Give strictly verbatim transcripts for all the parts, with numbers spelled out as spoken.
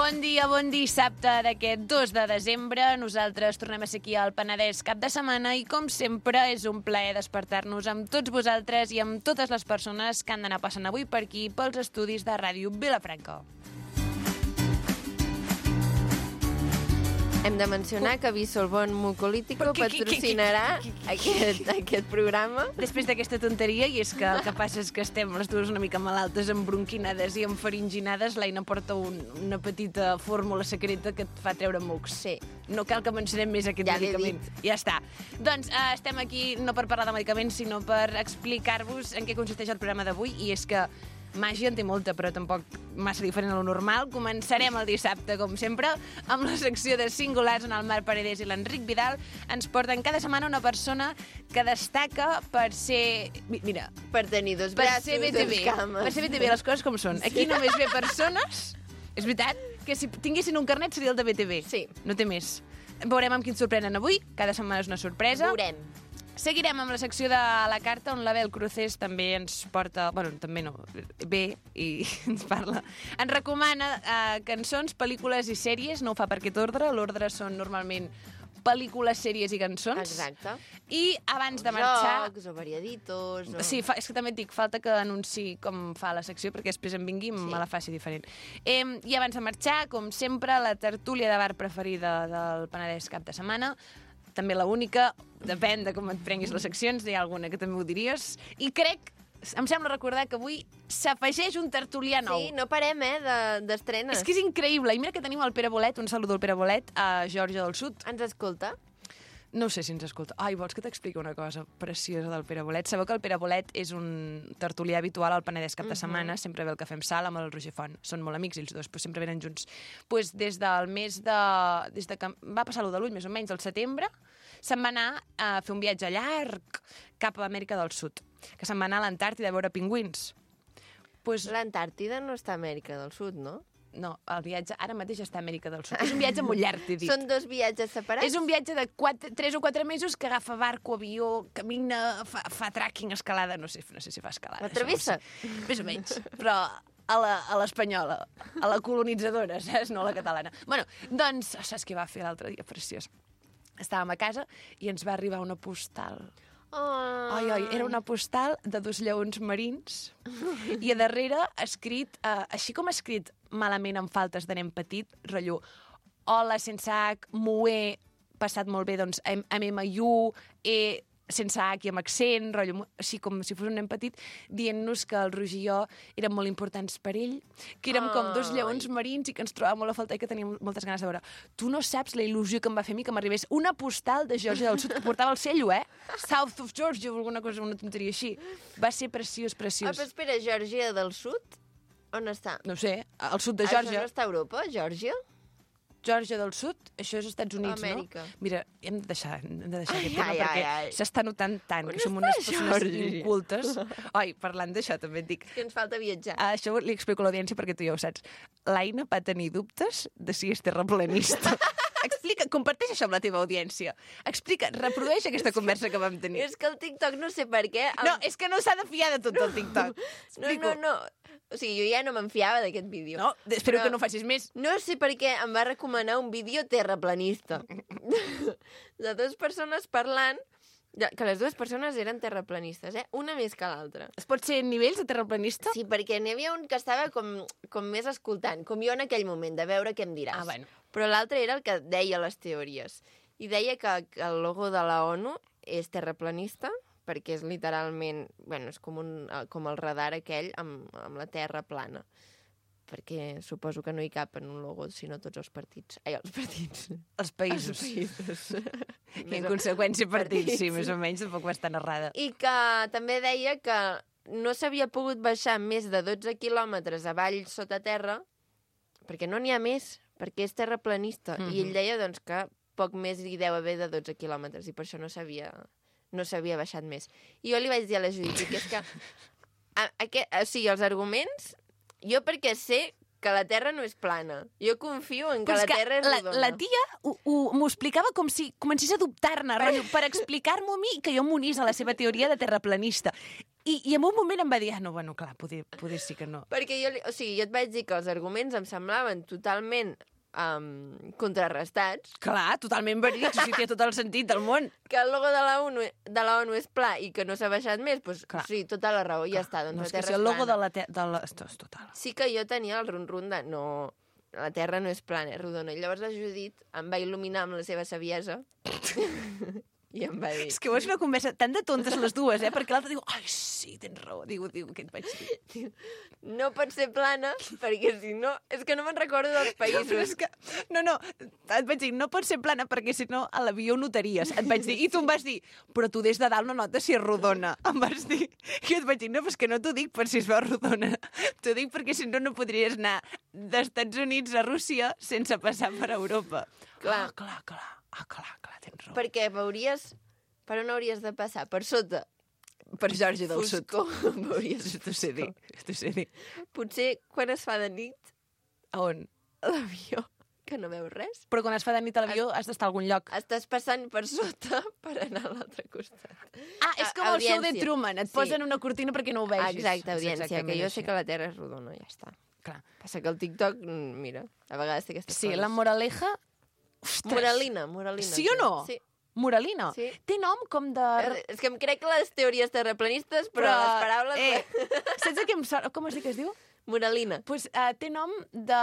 Bon dia, bon dissabte d'aquest dos de desembre. Nosaltres tornem a ser aquí al Penedès cap de setmana i, com sempre, és un plaer despertar-nos amb tots vosaltres i amb totes les persones que han d'anar passant avui per aquí pels estudis de Ràdio Vilafranca. Hem de mencionar que Bisolbón Mucolítico patrocinarà aquest, aquest programa. Després d'aquesta tonteria, i és que el que passa és que estem les dues una mica malaltes, embronquinades i enfaringinades, l'Aina porta un, una petita fórmula secreta que et fa treure mocs. Sí. No cal que mencionem més aquest ja medicament. Ja està. Doncs eh, estem aquí no per parlar de medicaments, sinó per explicar-vos en què consisteix el programa d'avui, i és que màgia en té molta, però tampoc massa diferent a lo normal. Començarem el dissabte, com sempre, amb la secció de Singulars, on el Marc Paredes i l'Enric Vidal ens porten cada setmana una persona que destaca per ser... Mira, per tenir dos per braços, ser B T V, dos cames. per ser B T V, les coses com són. Aquí només ve persones... És veritat que si tinguessin un carnet seria el de B T V. Sí. No té més. Veurem amb qui ens sorprenen avui. Cada setmana és una sorpresa. Veurem. Seguirem amb la secció de la carta, on l'Abel Cruces també ens porta... Bueno, també no, ve i ens parla. Ens recomana eh, cançons, pel·lícules i sèries. No ho fa per aquest ordre. L'ordre són normalment pel·lícules, sèries i cançons. Exacte. I abans de marxar... Jocs o variaditos... O... Sí, fa, és que també et dic, falta que anunciï com fa la secció, perquè després em vingui i sí. me la faci diferent. Eh, I abans de marxar, com sempre, la tertúlia de bar preferida del Penedès cap de setmana. També la única, depèn de com et prenguis les seccions, hi ha alguna que també ho diries. I crec, em sembla recordar que avui s'afegeix un tertulià nou. Sí, no parem, eh, d'estrenes. És que és increïble. I mira que tenim el Pere Bolet, un saludo al Pere Bolet, a Geòrgia del Sud. Ens escolta? No sé si ens escolta. Ai, vols que t'expliqui una cosa preciosa del Pere Bolet? Sabeu que el Pere Bolet és un tertulià habitual al Penedès cap de setmana, uh -huh. sempre ve el Cafè amb Sal amb el Roger Font. Són molt amics ells dos, però sempre venen junts. Pues des del mes de... Des de que va passar l'u de l'ull, més o menys, al setembre, se'n va anar a fer un viatge llarg cap a Amèrica del Sud, que se'n va anar a l'Antàrtida a veure pingüins. Pues... L'Antàrtida no està a Amèrica del Sud, no? No, el viatge ara mateix està a Amèrica del Sud. És un viatge molt llarg, t'he dit. Són dos viatges separats? És un viatge de quatre, tres o quatre mesos que agafa barco, avió, camina, fa, fa tracking, escalada, no sé, no sé si fa escalada. La travessa? No sé. Més o menys, però a l'espanyola, a, a la colonitzadora, saps? No a la catalana. Bueno, doncs, saps què va fer l'altre dia? Preciós. Estàvem a casa i ens va arribar una postal. Oh. Ai, ai, era una postal de dos lleons marins i a darrere escrit, eh, així com escrit malament amb faltes de nen petit, rotllo, hola, sense H, m'ho he passat molt bé, doncs, amb M I U, E, sense H i amb accent, rotllo, així com si fos un nen petit, dient-nos que el Roger i jo eren molt importants per ell, que érem com dos lleons marins i que ens trobàvem molt a faltar i que teníem moltes ganes de veure. Tu no saps la il·lusió que em va fer a mi que m'arribés una postal de Geòrgia del Sud, que portava el cello, eh? South of Georgia o alguna cosa, una tonteria així. Va ser preciós, preciós. Ah, però espera, Geòrgia del Sud? On està? No sé, al sud de Geòrgia. Això no està a Europa, Geòrgia? Geòrgia del Sud, això és Estats Units, Amèrica. no? Mira, hem de deixar, hem de deixar ai, aquest tema ai, perquè ai, ai. s'està notant tant On que som unes persones Geòrgia? incultes. Ai, parlant d'això també et dic. Que ens falta viatjar. Ah, això li explico a l'audiència perquè tu ja ho saps. L'Aina va tenir dubtes de si és terraplanista. Explica, comparteix això amb la teva audiència. Explica, reprodueix aquesta conversa que vam tenir. És que el TikTok no sé per què... Em... No, és que no s'ha de fiar de tot el TikTok. Explico. No, no, no. O sigui, jo ja no me'n fiava d'aquest vídeo. No, espero però que no facis més. No sé per què em va recomanar un vídeo terraplanista. De dues persones parlant, que les dues persones eren terraplanistes, eh? Una més que l'altra. Es pot ser nivells de terraplanista? Sí, perquè n'hi havia un que estava com, com més escoltant, com jo en aquell moment, de veure què em diràs. Ah, bueno. Però l'altre era el que deia les teories. I deia que, que el logo de la ONU és terraplanista, perquè és literalment, bueno, és com, un, com el radar aquell amb, amb la terra plana. Perquè suposo que no hi cap en un logo, sinó tots els partits. Ai, els partits. Els països. Els països. I en conseqüència partits, partits, sí, més o menys, tampoc va estar errada. I que també deia que no s'havia pogut baixar més de dotze quilòmetres avall sota terra, perquè no n'hi ha més, perquè és terraplanista. Mm-hmm. I ell deia doncs, que poc més hi deu haver de dotze quilòmetres, i per això no s'havia no s'havia baixat més. I jo li vaig dir a la Judit que és que a, a, o sigui, els arguments, jo perquè sé que la Terra no és plana. Jo confio en que la Terra és rodona. La, la tia m'ho explicava com si comencés a dubtar-ne, per explicar-m'ho a mi que jo m'unís a la seva teoria de terraplanista. I, I en un moment em va dir, ah, no, bueno, clar, poder, poder sí que no. Perquè jo, li- o sigui, jo et vaig dir que els arguments em semblaven totalment um, contrarrestats, Clar, totalment verídic, o sigui, té tot el sentit del món. que el logo de la ONU, de la ONU és pla i que no s'ha baixat més, doncs Clar. sí, tota la raó, i ja està. Doncs No, la és que Terra si el és logo de plana. la... Te de la... Esto és total. Sí que jo tenia el run-run de no, la Terra no és plana, és rodona. I llavors la Judit em va il·luminar amb la seva saviesa i em va dir... És que ho és una conversa tan de tontes les dues, eh? Perquè l'altre diu, ai, sí, tens raó. Diu, diu, què et vaig dir? No pot ser plana, perquè si no... És que no me'n recordo dels Però és països. que, no, no, et vaig dir, no pot ser plana perquè si no a l'avió ho notaries. Et vaig dir, i tu em vas dir, però tu des de dalt no notes si és rodona. Em vas dir. I et vaig dir, no, però és que no t'ho dic per si es veu rodona. T'ho dic perquè si no no podries anar d'Estats Units a Rússia sense passar per Europa. Clar. Ah, clar, clar. Ah, clar, clar, tens raó. Perquè veuries... Per on hauries de passar? Per sota? Per Geòrgia del Sud. Foscor. Veuries T'ho sé dir, t'ho sé dir. Potser quan es fa de nit, A on? a l'avió, que no veus res, Però quan es fa de nit a l'avió has d'estar a algun lloc. estàs passant per sota per anar a l'altre costat. Ah, és com A- el show de audiència. Truman. Et Sí. posen una cortina perquè no ho vegis. Exacte, És audiència, exactament que jo així. sé que la Terra és rodona, ja està. Clar. Passa que el TikTok, mm, mira, a vegades té aquestes Sí, coses. la moraleja... Ostres. Moralina, moralina. Sí o no? Sí. Moralina. Sí. Té nom com de... Eh, És que em crec les teories terraplanistes, però, les paraules... Eh, saps de què em sona? Com es diu que es diu? Moralina. Pues, uh, té nom de,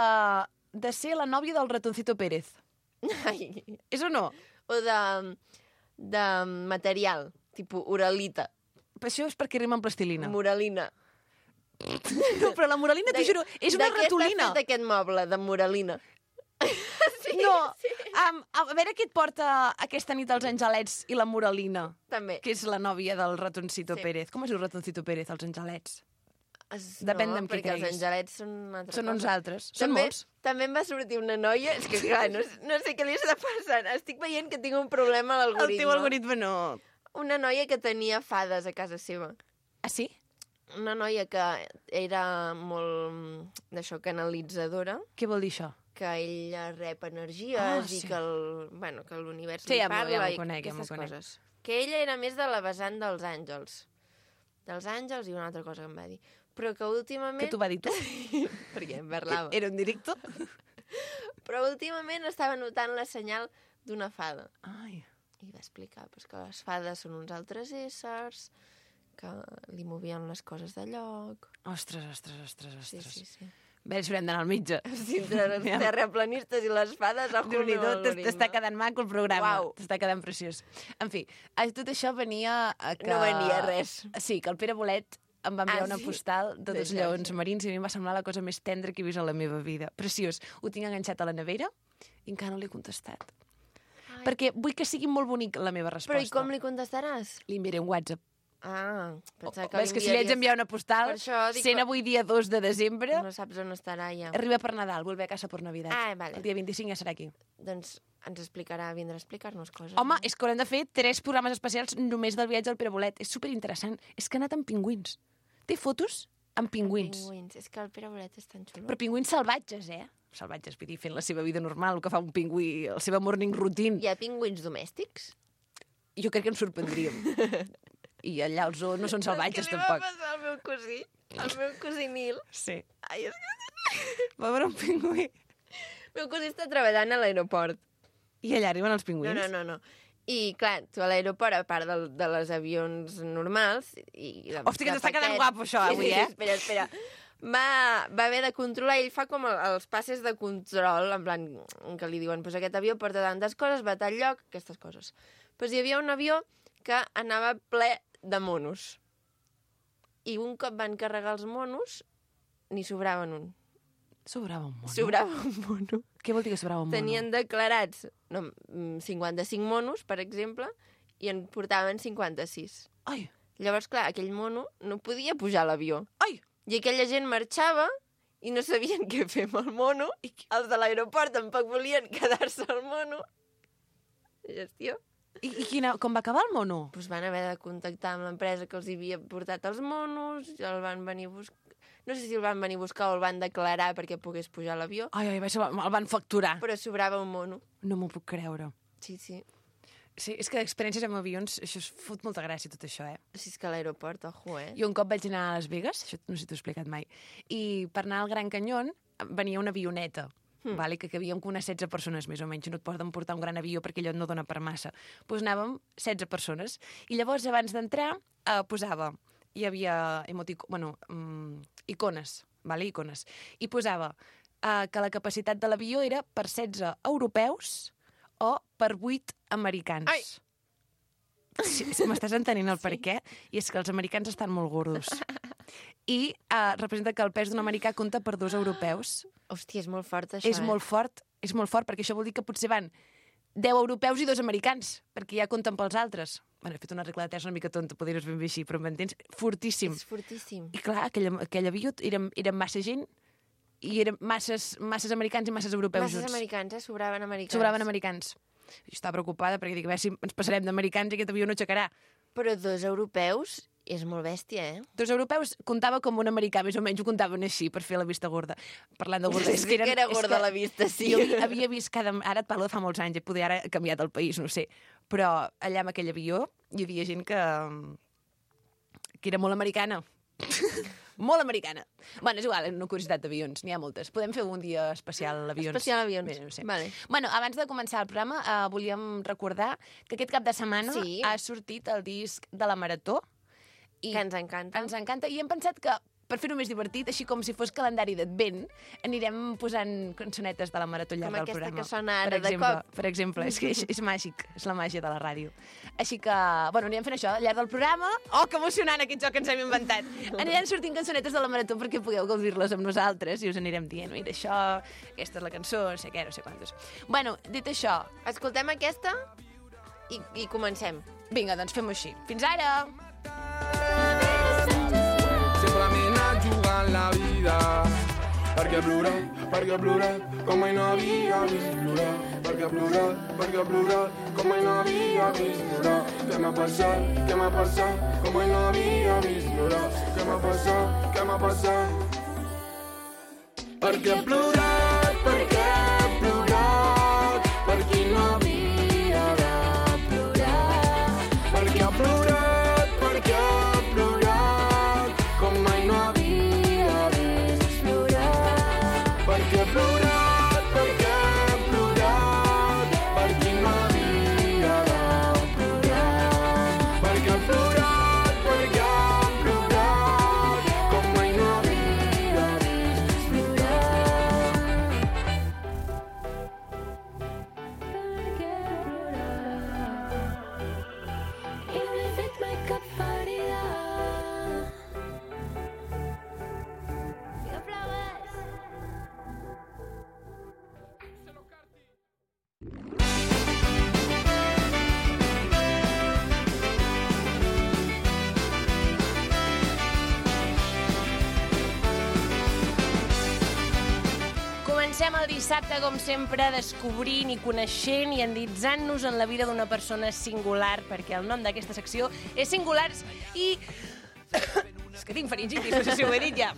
de ser la nòvia del ratoncito Pérez. Ai. És o no? O de, de material, tipus oralita, Però això és perquè rima amb plastilina. moralina. No, però la moralina, t'ho juro, és una De què ratolina. està fet aquest moble, de moralina? sí, No, sí. um, a veure què et porta aquesta nit els angelets i la moralina, També. que és la nòvia del ratoncito Sí. Pérez. Com es diu ratoncito Pérez, els angelets? Es- Depèn no, d'amb qui perquè els creguis. angelets són una altra Són cosa. uns altres. Són També, molts. també em va sortir una noia... És que, clar, no, no sé què li està passant. Estic veient que tinc un problema a El l'algoritme. teu algoritme no... Una noia que tenia fades a casa seva. Ah, sí? Una noia que era molt, mm, d'això, canalitzadora, Què vol dir això? que ella rep energies Ah, i sí. que el, bueno, que l'univers Sí, li ja m'ho- parla ja m'ho i conec, ja m'ho aquestes conec. coses. Que ella era més de la vessant dels àngels. Dels àngels i una altra cosa que em va dir. Però que últimament... Què t'ho va dir tu? Perquè em parlava. Era un directo? Però últimament estava notant la senyal d'una fada. Ai. I va explicar pues, que les fades són uns altres éssers, que li movien les coses de lloc. Ostres, ostres, ostres, Sí, ostres. sí, sí. Bé, ens haurem d'anar al metge. Sí, entre els terraplanistes i les fades, ojo déu nhi amb l'algoritme. t'està quedant maco el programa. Uau. T'està quedant preciós. En fi, a tot això venia a que... No venia res. Sí, que el Pere Bolet em va enviar Ah, una sí? postal de De dos lleons Geòrgia. marins i a mi em va semblar la cosa més tendra que he vist a la meva vida. Preciós. Ho tinc enganxat a la nevera i encara no l'he contestat. Ai. Perquè vull que sigui molt bonic la meva resposta. Però i com li contestaràs? Li enviaré un WhatsApp. Ah, pensava que Ves que si li haig d'enviar una postal, Per això dic sent que- avui dia dos de desembre, No saps on estarà ja. arriba per Nadal, vuelve a casa per Navidad. Ah, vale. El dia vint-i-cinc ja serà aquí. Doncs ens explicarà, vindrà a explicar-nos coses. Home, no? és que haurem de fer tres programes especials només del viatge al Pere Bolet. És superinteressant. És que ha anat amb pingüins. Té fotos amb pingüins. Pingüins. És que el Pere Bolet és tan xulo. Però pingüins salvatges, eh? Salvatges, vull dir, fent la seva vida normal, el que fa un pingüí, la seva morning routine. Hi ha pingüins domèstics? Jo crec que ens sorprendríem. I allà els zoos no són salvatges, tampoc. Què li va passar al meu cosí? Al meu cosí Nil? Sí. Ai, és que... Va veure un pingüí. El meu cosí està treballant a l'aeroport. I allà arriben els pingüins. No, no, no, no. I, clar, tu a l'aeroport, a part de, de les avions normals... I de, Hòstia, que de t'està quedant paquets- guapo, això, avui, sí, sí, eh? Espera, espera. Va, va haver de controlar, ell fa com el, els passes de control, en plan, que li diuen, pues aquest avió porta tantes coses, va a tal lloc, aquestes coses. Pues hi havia un avió que anava ple de monos. I un cop van carregar els monos, n'hi sobraven un. Sobrava un mono. Sobrava un mono. Què vol dir que sobrava un mono? Tenien declarats no, mm, cinquanta-cinc monos, per exemple, i en portaven cinquanta-sis. Ai, Llavors, clar, aquell mono no podia pujar a l'avió. ai! I aquella gent marxava i no sabien què fer amb el mono. I els de l'aeroport tampoc volien quedar-se al mono. Gestió. I, i quina, com va acabar el mono? Doncs van haver de contactar amb l'empresa que els havia portat els monos, i el van venir a buscar... No sé si el van venir a buscar o el van declarar perquè pogués pujar a l'avió, Ai, ai, va ser- el van facturar. però sobrava un mono. No m'ho puc creure. Sí, sí. Sí, és que experiències amb avions, això es fot molta gràcia, tot això, eh? Si és que a l'aeroport, ojo, eh? Jo un cop vaig anar a Las Vegas, això no sé si t'ho he explicat mai, i per anar al Gran Canyón venia una avioneta, mm. vale, que cabíem com unes setze persones, més o menys, no et poden portar un gran avió perquè allò no dona per massa. Doncs pues anàvem setze persones, i llavors abans d'entrar eh, posava, hi havia emotic... bueno, um, icones, vale, icones, i posava eh, que la capacitat de l'avió era per setze europeus o per vuit americans. Ai! Sí, sí, m'estàs entenent el sí. per què? I és que els americans estan molt gordos. I uh, representa que el pes d'un americà compta per dos europeus. Hòstia, és molt fort, això, És eh? molt fort, és molt fort, perquè això vol dir que potser van deu europeus i dos americans, perquè ja compten pels altres. Bueno, he fet una regla de tres una mica tonta, podries ben bé així, però m'entens? Fortíssim. És fortíssim. I clar, aquell, aquell avió érem, érem massa gent, i eren masses, masses americans i masses europeus Masses junts. americans, eh? Sobraven americans. Sobraven americans. Jo estava preocupada perquè dic, a veure si ens passarem d'americans i aquest avió no aixecarà. Però dos europeus és molt bèstia, eh? Dos europeus comptava com un americà, més o menys ho comptaven així, per fer la vista gorda. Parlant de gorda... És que, eren, que era gorda que la vista, sí. Jo havia vist cada... Ara et parlo de fa molts anys, poder ara ha canviat el país, no sé. Però allà amb aquell avió hi havia gent que... que era molt americana. Molt americana. Bueno, és igual, una curiositat d'avions, n'hi ha moltes. Podem fer un dia especial avions. Especial avions, Bé, no sé. vale. Bueno, abans de començar el programa, eh, volíem recordar que aquest cap de setmana Sí. ha sortit el disc de la Marató. I Que ens encanta. Ens encanta, i hem pensat que per fer-ho més divertit, així com si fos calendari d'advent, anirem posant cançonetes de la Marató al llarg Com del aquesta programa. que sona ara per de exemple, cop. Per exemple, és que és, és màgic, és la màgia de la ràdio. Així que, bueno, anirem fent això al llarg del programa. Oh, que emocionant aquest joc que ens hem inventat. Anirem sortint cançonetes de la Marató perquè pugueu gaudir-les amb nosaltres i us anirem dient, mira, això, aquesta és la cançó, no sé què, no sé quantos. Bueno, dit això... Escoltem aquesta i, i comencem. Vinga, doncs fem-ho així. Fins ara! Sempre m'he anat jugant la vida perquè plorar, perquè plorar com mai no havia vist plorar, perquè plorar, perquè plorar com mai no havia vist plorar. Què m'ha passat, què m'ha passat com mai no havia vist plorar. Què m'ha passat, què m'ha passat. Perquè he plorat, perquè he plorat per qui no havia de plorar. Perquè he plorat, perquè he plorat com mai no havia vist plorar. Perquè he plorat, perquè he plorat per qui no havia de plorar. Perquè he plorat, perquè he plorat com mai no havia vist plorar. I m'he fet mai cap ferida. Que aplaudes. Comencem el dissabte, com sempre, descobrint i coneixent i endinsant-nos en la vida d'una persona singular, perquè el nom d'aquesta secció és Singulars i... és que tinc faringitis, no sé si ho he dit ja.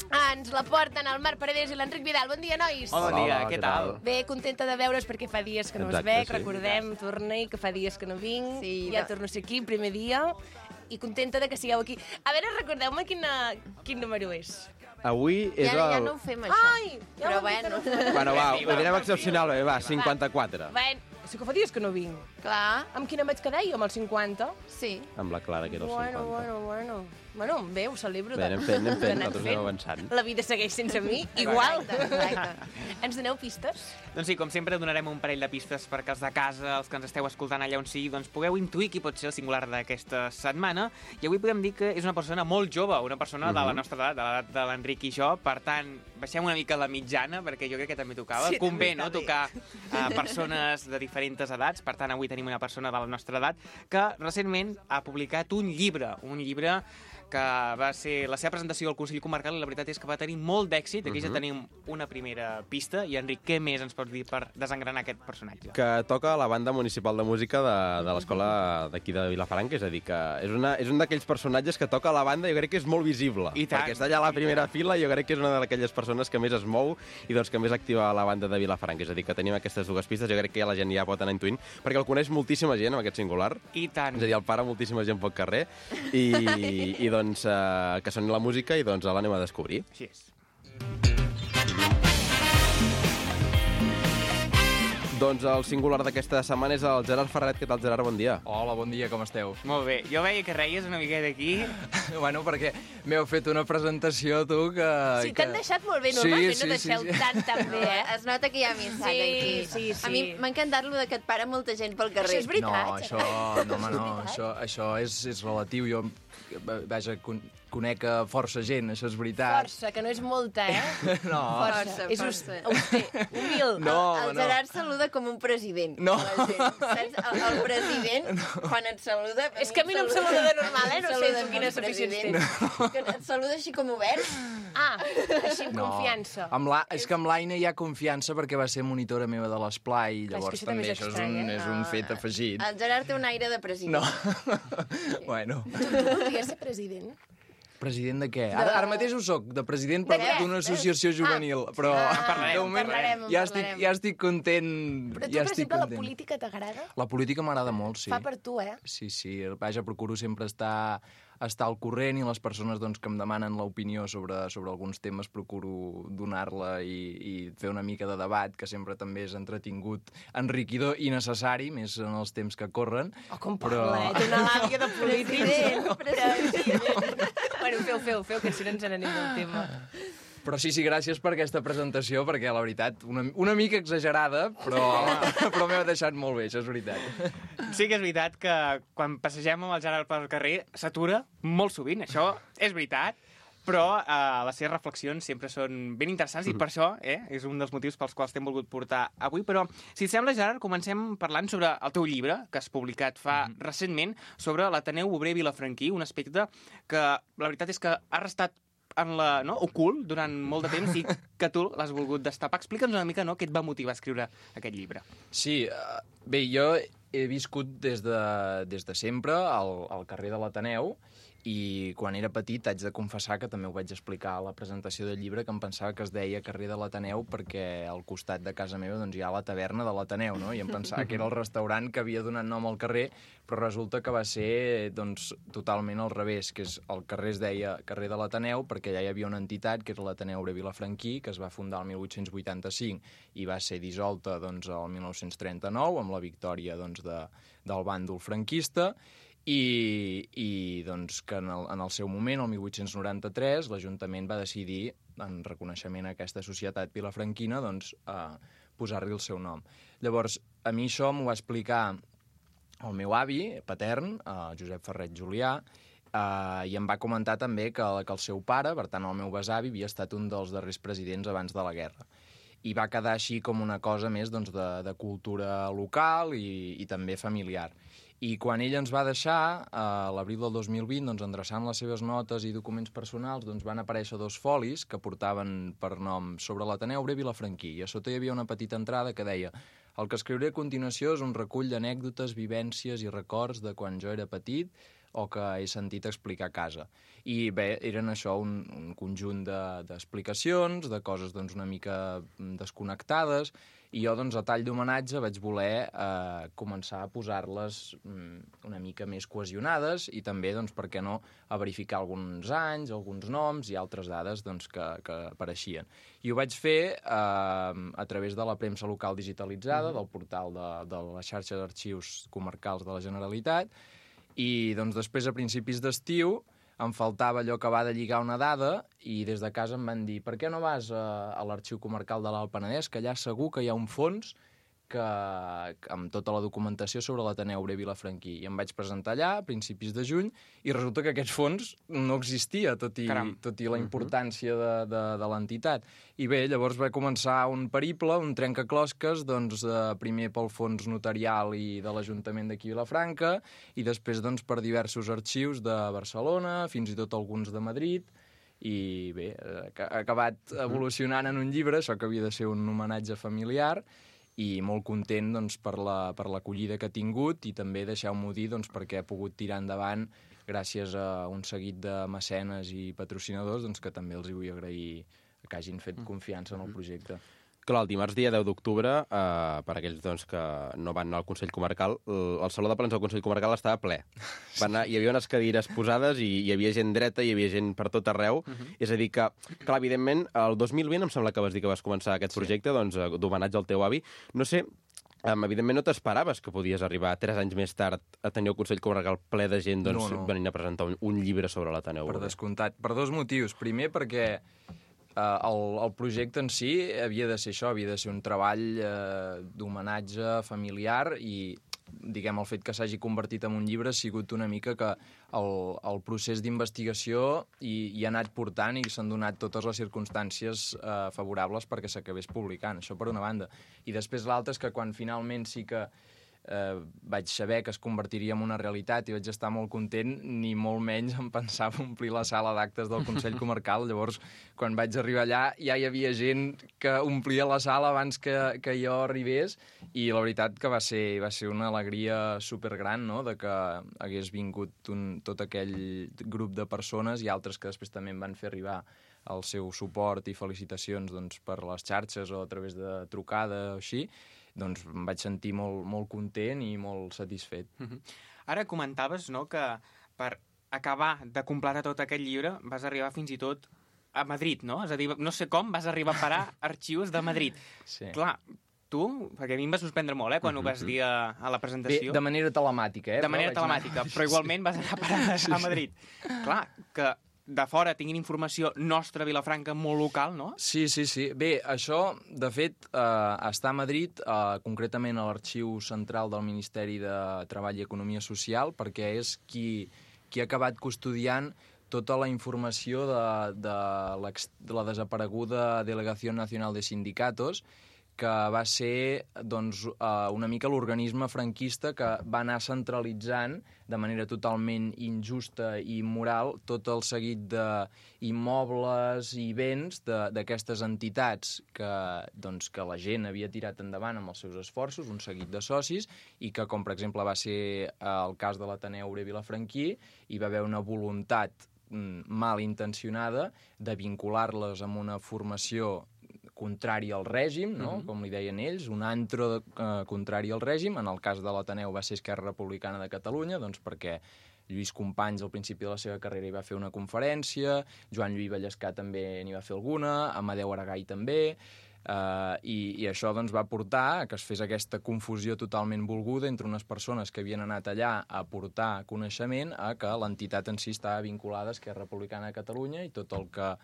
Ah, ens la porten el Marc Paredes i l'Enric Vidal. Bon dia, nois! Hola, bon dia, Hola, què què tal? tal? Bé, contenta de veure's perquè fa dies que no us Exacte, veig, sí. recordem, torna-hi, que fa dies que no vinc, Sí, ja de- torno a ser aquí, primer dia, i contenta de que sigueu aquí. A veure, recordeu-me quina, quin número és. Avui és Ja, ja el... no ho fem, això. Ai! Ja Però ho hem dit bueno. que no. Bueno, va, ho direm excepcional, bé, va, cinquanta-quatre. Bueno, sí que fa dies que no vinc. Clar, Amb quina em vaig quedar jo, amb el cinquanta? sí. Amb la Clara, que era el Bueno, cinquanta. bueno, bueno. Bueno, bé, ho celebro. Bé, anem fent, anem que fent, anem nosaltres anem avançant. La vida segueix sense mi, igual. Exacte, exacte. Ens doneu pistes? Doncs sí, com sempre, donarem un parell de pistes perquè els de casa, els que ens esteu escoltant allà on sigui, doncs pugueu intuir qui pot ser el singular d'aquesta setmana. I avui podem dir que és una persona molt jove, una persona de la nostra edat, de l'edat de l'Enric i jo. Per tant, baixem una mica la mitjana, perquè jo crec que també tocava. Sí, Convé, també no?, està tocar uh, persones de diferents edats. Per tant, avui tenim una persona de la nostra edat que recentment ha publicat un llibre, un llibre que va ser la seva presentació al Consell Comarcal i la veritat és que va tenir molt d'èxit. Aquí ja tenim una primera pista. I, Enric, què més ens pots dir per desengranar aquest personatge? Que toca a la banda municipal de música de, de l'escola d'aquí de Vilafranca, és a dir, que és, una, és un d'aquells personatges que toca a la banda i jo crec que és molt visible. I tant. Perquè està allà a la primera fila i jo crec que és una d'aquelles persones que més es mou i doncs que més activa la banda de Vilafranca. És a dir, que tenim aquestes dues pistes, jo crec que ja la gent ja pot anar intuint, perquè el coneix moltíssima gent amb aquest singular. I tant. És a dir, el para moltíssima gent pel carrer i, i doncs eh, que soni la música i doncs l'anem a descobrir. Així és. Doncs el singular d'aquesta setmana és el Gerard Ferret. Què tal, Gerard? Bon dia. Hola, bon dia, com esteu? Molt bé. Jo veia que reies una miqueta aquí. Bueno, perquè m'heu fet una presentació, tu, que... Sí, que... t'han deixat molt bé. Sí, Normalment sí, no deixeu sí, sí. tan, tan bé, eh? Es nota que hi ha amistat Sí, aquí. sí, sí. A mi m'ha encantat lo de que et para molta gent pel carrer. Això és veritat. No, això, no, home, no, això, això és, és relatiu. Jo, vaja, con, conec a força gent, això és veritat. Força, que no és molta, eh? No, Força, És força. auster, humil. no, el no. Gerard saluda com un president. No. a la gent, Saps? El, el president, quan et saluda... És que a mi no em saluda de normal, eh? No sé Saluda tu quines com un aficions president. tens. Que et saluda així com obert. Ah, així amb No. confiança. Amb la, és que amb l'Aina hi ha confiança perquè va ser monitora meva de l'esplai, Clar, és que llavors això també també és això és estrany, un, eh? és un fet afegit. El Gerard té un aire de president. No. Bueno. Tu, tu podries ser president? President de què? Ara, ara mateix ho soc, de president De què? d'una associació juvenil, però Ah, parlarem, de moment parlarem, ja, estic, parlarem. ja estic content. Però tu, ja per estic exemple, la content. política t'agrada? La política m'agrada molt, sí. Fa per tu, eh? Sí, sí, vaja, procuro sempre estar, estar al corrent i les persones doncs, que em demanen l'opinió sobre, sobre alguns temes procuro donar-la i, i fer una mica de debat, que sempre també és entretingut, enriquidor i necessari, més en els temps que corren. Oh, com Però- parla, eh? Té una làbia de polític. President, president. Bueno, feu, feu, feu, que si no ens n'anem del tema. Però sí, sí, gràcies per aquesta presentació, perquè la veritat, una, una mica exagerada, però, però m'heu deixat molt bé, això és veritat. Sí que és veritat que quan passegem amb el Gerard pel carrer s'atura molt sovint, això és veritat, però eh, les seves reflexions sempre són ben interessants i per això eh, és un dels motius pels quals t'hem volgut portar avui. Però, si et sembla, Gerard, comencem parlant sobre el teu llibre, que has publicat fa mm -hmm. recentment, sobre l'Ateneu Obrer Vilafranquí, un aspecte que la veritat és que ha restat en la, no, ocult durant molt de temps i que tu l'has volgut destapar. Explica'ns una mica no, què et va motivar a escriure aquest llibre. Sí, uh, bé, jo he viscut des de, des de sempre al, al carrer de l'Ateneu i quan era petit haig de confessar que també ho vaig explicar a la presentació del llibre, que em pensava que es deia carrer de l'Ateneu perquè al costat de casa meva doncs, hi ha la taverna de l'Ateneu, no? I em pensava que era el restaurant que havia donat nom al carrer, però resulta que va ser doncs, totalment al revés, que és, el carrer es deia carrer de l'Ateneu perquè allà hi havia una entitat, que és l'Ateneu Obrer Vilafranquí, que es va fundar el mil vuit-cents vuitanta-cinc i va ser dissolta doncs, el mil nou-cents trenta-nou amb la victòria doncs, de, del bàndol franquista. I, i doncs, que en el, en el seu moment, el mil vuit-cents noranta-tres, l'Ajuntament va decidir, en reconeixement a aquesta societat vilafranquina, doncs, eh, posar-li el seu nom. Llavors, a mi això m'ho va explicar el meu avi patern, eh, Josep Ferret Julià, eh, i em va comentar també que, que el seu pare, per tant el meu besavi, havia estat un dels darrers presidents abans de la guerra. I va quedar així com una cosa més doncs, de, de cultura local i, i també familiar. I quan ell ens va deixar, a l'abril del dos mil vint, doncs, endreçant les seves notes i documents personals, doncs, van aparèixer dos folis que portaven per nom sobre l'Ateneu Obrer Vilafranquí. I a sota hi havia una petita entrada que deia: el que escriuré a continuació és un recull d'anècdotes, vivències i records de quan jo era petit o que he sentit explicar a casa. I bé, eren això un, un conjunt d'explicacions, de, de coses doncs, una mica desconnectades, i jo, doncs, a tall d'homenatge vaig voler eh, començar a posar-les mm, una mica més cohesionades i també, doncs, per què no, a verificar alguns anys, alguns noms i altres dades doncs, que, que apareixien. I ho vaig fer eh, a través de la premsa local digitalitzada, del portal de, de la xarxa d'arxius comarcals de la Generalitat, i doncs, després, a principis d'estiu, em faltava allò que va de lligar una dada i des de casa em van dir: per què no vas a, a l'arxiu comarcal de l'Alt Penedès, que allà segur que hi ha un fons que, que amb tota la documentació sobre l'Ateneu Obrer Vilafranquí. I em vaig presentar allà a principis de juny i resulta que aquest fons no existia, tot i, tot i la importància de, de, de l'entitat. I bé, llavors va començar un periple, un trencaclosques, doncs, eh, primer pel fons notarial i de l'Ajuntament d'aquí Vilafranca, i després doncs, per diversos arxius de Barcelona, fins i tot alguns de Madrid, i bé, ha acabat evolucionant en un llibre, això que havia de ser un homenatge familiar, i molt content doncs, per la, per l'acollida que ha tingut i també, deixeu-m'ho dir, doncs, perquè ha pogut tirar endavant gràcies a un seguit de mecenes i patrocinadors doncs, que també els hi vull agrair que hagin fet confiança en el projecte. Clar, el dimarts dia deu d'octubre, eh, per aquells doncs, que no van anar al Consell Comarcal, el, el Saló de Plens del Consell Comarcal estava ple. Va anar, hi havia unes cadires posades i hi havia gent dreta, hi havia gent per tot arreu. Uh -huh. És a dir que, clar, evidentment, el dos mil vint em sembla que vas dir que vas començar aquest projecte, sí. doncs, d'homenatge al teu avi. No sé, Um, evidentment no t'esperaves que podies arribar tres anys més tard a tenir el Consell Comarcal ple de gent doncs, no, no. venint a presentar un, un llibre sobre l'Ateneu. Per descomptat. Per dos motius. Primer, perquè Uh, el, el projecte en si havia de ser això, havia de ser un treball uh, d'homenatge familiar i, diguem, el fet que s'hagi convertit en un llibre ha sigut una mica que el, el procés d'investigació hi, hi ha anat portant i s'han donat totes les circumstàncies uh, favorables perquè s'acabés publicant, això per una banda. I després l'altra és que quan finalment sí que Uh, vaig saber que es convertiria en una realitat i vaig estar molt content, ni molt menys em pensava omplir la sala d'actes del Consell Comarcal. Llavors, quan vaig arribar allà, ja hi havia gent que omplia la sala abans que, que jo arribés, i la veritat que va ser, va ser una alegria supergran, no?, de que hagués vingut un, tot aquell grup de persones i altres que després també em van fer arribar el seu suport i felicitacions doncs, per les xarxes o a través de trucada o així. Doncs em vaig sentir molt, molt content i molt satisfet. Uh-huh. Ara comentaves, no?, que per acabar de completar tot aquest llibre vas arribar fins i tot a Madrid, no? És a dir, no sé com vas arribar a parar arxius de Madrid. Sí. Clar, tu, perquè a mi em va sorprendre molt, eh, quan uh-huh. ho vas dir a, a la presentació. Bé, de manera telemàtica, eh? De manera telemàtica, anar... però igualment vas anar a parar sí, a Madrid. Sí. Clar, que de fora tinguin informació nostra a Vilafranca molt local, no? Sí, sí, sí. Bé, això, de fet, eh, està a Madrid, eh, concretament a l'Arxiu Central del Ministeri de Treball i Economia Social, perquè és qui, qui ha acabat custodiant tota la informació de, de, de la desapareguda Delegació Nacional de Sindicatos, que va ser doncs, una mica l'organisme franquista que va anar centralitzant de manera totalment injusta i immoral tot el seguit d'immobles i béns d'aquestes entitats que, doncs, que la gent havia tirat endavant amb els seus esforços, un seguit de socis, i que, com per exemple va ser el cas de l'Ateneu Obrer Vilafranquí, hi va haver una voluntat mal intencionada de vincular-les amb una formació contrari al règim, no? Uh-huh. Com li deien ells, un antro eh, contrari al règim. En el cas de l'Ateneu va ser Esquerra Republicana de Catalunya, doncs perquè Lluís Companys al principi de la seva carrera hi va fer una conferència, Joan Lluís Vallescà també n'hi va fer alguna, Amadeu Aragai també, eh, i, i això doncs, va portar a que es fes aquesta confusió totalment volguda entre unes persones que havien anat allà a portar coneixement a que l'entitat en si estava vinculada a Esquerra Republicana de Catalunya i tot el que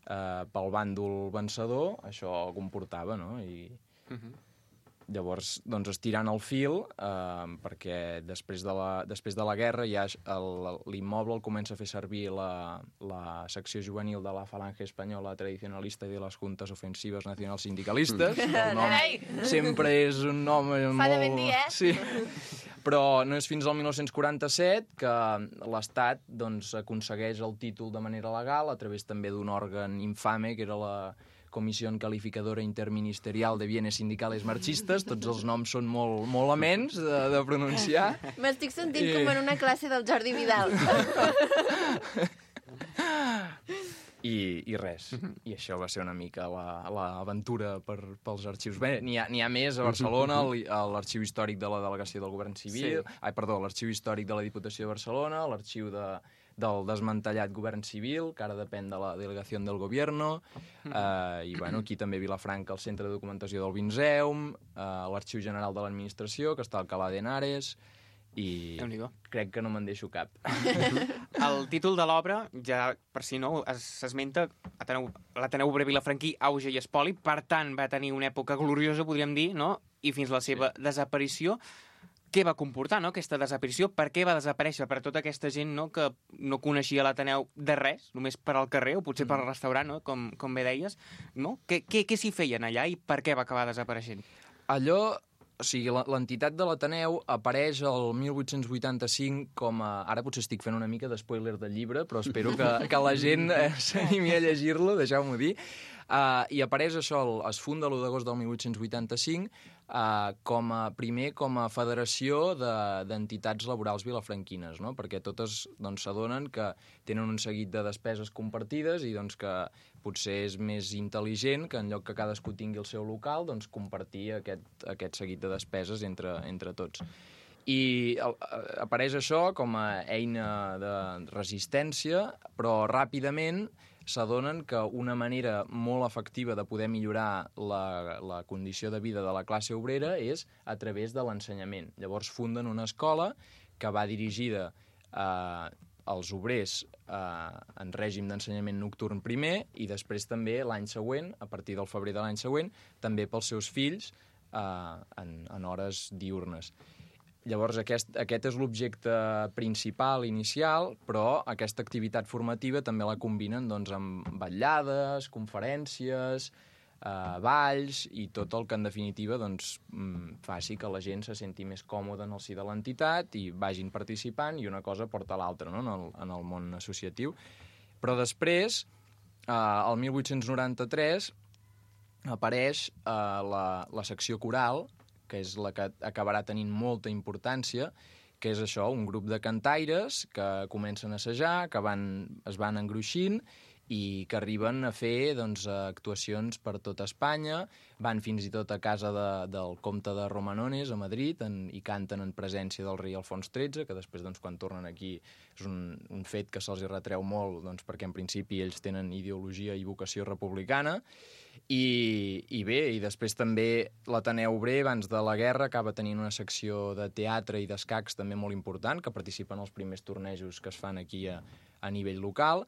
Uh, pel bàndol vencedor això comportava, no? I uh-huh. llavors, doncs, estirant el fil, uh, perquè després de, la, després de la guerra ja l'immoble el comença a fer servir la, la secció juvenil de la Falange Espanyola Tradicionalista i de les Juntes Ofensives Nacionals Sindicalistes. Mm. El nom sempre és un nom molt... Fa de ben dir, eh? Sí. Però no és fins al mil nou-cents quaranta-set que l'Estat doncs, aconsegueix el títol de manera legal a través també d'un òrgan infame, que era la Comissió Calificadora Interministerial de Bienes Sindicales Marxistes. Tots els noms són molt, molt amens de, de pronunciar. M'estic sentint I... com en una classe del Jordi Vidal. I, i res. I això va ser una mica l'aventura la, per, pels arxius. Bé, n'hi ha, n'hi ha més a Barcelona, l'arxiu històric de la Delegació del Govern Civil, sí. ai, perdó, l'arxiu històric de la Diputació de Barcelona, l'arxiu de, del desmantellat Govern Civil, que ara depèn de la Delegació del Gobierno, eh, i bueno, aquí també a Vilafranca el Centre de Documentació del Vinzeum, eh, l'Arxiu General de l'Administració, que està a Alcalá de Henares, i crec que no me'n deixo cap. El títol de l'obra, ja per si no, s'esmenta l'Ateneu Obrer Vilafranquí, auge i espoli, per tant va tenir una època gloriosa, podríem dir, no? i fins la seva desaparició. Què va comportar, no?, aquesta desaparició? Per què va desaparèixer? Per tota aquesta gent, no?, que no coneixia l'Ateneu de res, només per al carrer o potser per al restaurant, no?, com, com bé deies, no? Què, què, què s'hi feien allà i per què va acabar desapareixent? Allò, o sigui, l'entitat de l'Ateneu apareix el mil vuit-cents vuitanta-cinc com a... Ara potser estic fent una mica d'espoiler del llibre, però espero que, que la gent eh, s'animi a llegir-lo, deixeu-m'ho dir. Uh, I apareix això, el, es funda l'u d'agost del mil vuit-cents vuitanta-cinc uh, com a, primer com a federació d'entitats de, laborals vilafranquines, no? Perquè totes doncs, s'adonen que tenen un seguit de despeses compartides i doncs, que potser és més intel·ligent que en lloc que cadascú tingui el seu local, doncs, compartir aquest, aquest seguit de despeses entre, entre tots. I el, apareix això com a eina de resistència, però ràpidament s'adonen que una manera molt efectiva de poder millorar la, la condició de vida de la classe obrera és a través de l'ensenyament. Llavors funden una escola que va dirigida eh, als obrers eh, en règim d'ensenyament nocturn primer i després també l'any següent, a partir del febrer de l'any següent, també pels seus fills eh, en, en hores diurnes. Llavors, aquest, aquest és l'objecte principal, inicial, però aquesta activitat formativa també la combinen doncs, amb vetllades, conferències, eh, balls i tot el que, en definitiva, doncs, faci que la gent se senti més còmoda en el si de l'entitat i vagin participant i una cosa porta l'altra, no?, en, el, en el món associatiu. Però després, eh, el mil vuit-cents noranta-tres, apareix eh, la, la secció coral, que és la que acabarà tenint molta importància, que és això, un grup de cantaires que comencen a assajar, que van, es van engruixint i que arriben a fer doncs, actuacions per tota Espanya, van fins i tot a casa de, del comte de Romanones, a Madrid, en, i canten en presència del rei Alfons tretze, que després, doncs, quan tornen aquí, és un, un fet que se'ls retreu molt, doncs, perquè en principi ells tenen ideologia i vocació republicana. I, i bé, i després també l'Ateneu Obrer, abans de la guerra, acaba tenint una secció de teatre i d'escacs també molt important, que participen als primers tornejos que es fan aquí a, a nivell local,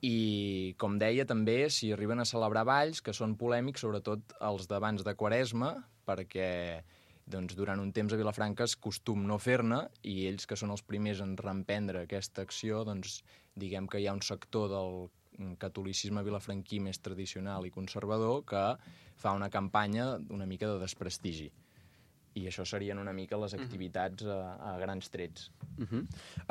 i, com deia, també s'hi arriben a celebrar balls que són polèmics, sobretot els d'abans de Quaresma, perquè doncs, durant un temps a Vilafranca és costum no fer-ne, i ells, que són els primers en reemprendre aquesta acció, doncs diguem que hi ha un sector del catolicisme vilafranquí més tradicional i conservador que fa una campanya una mica de desprestigi. I això serien una mica les activitats a, a grans trets. Uh-huh.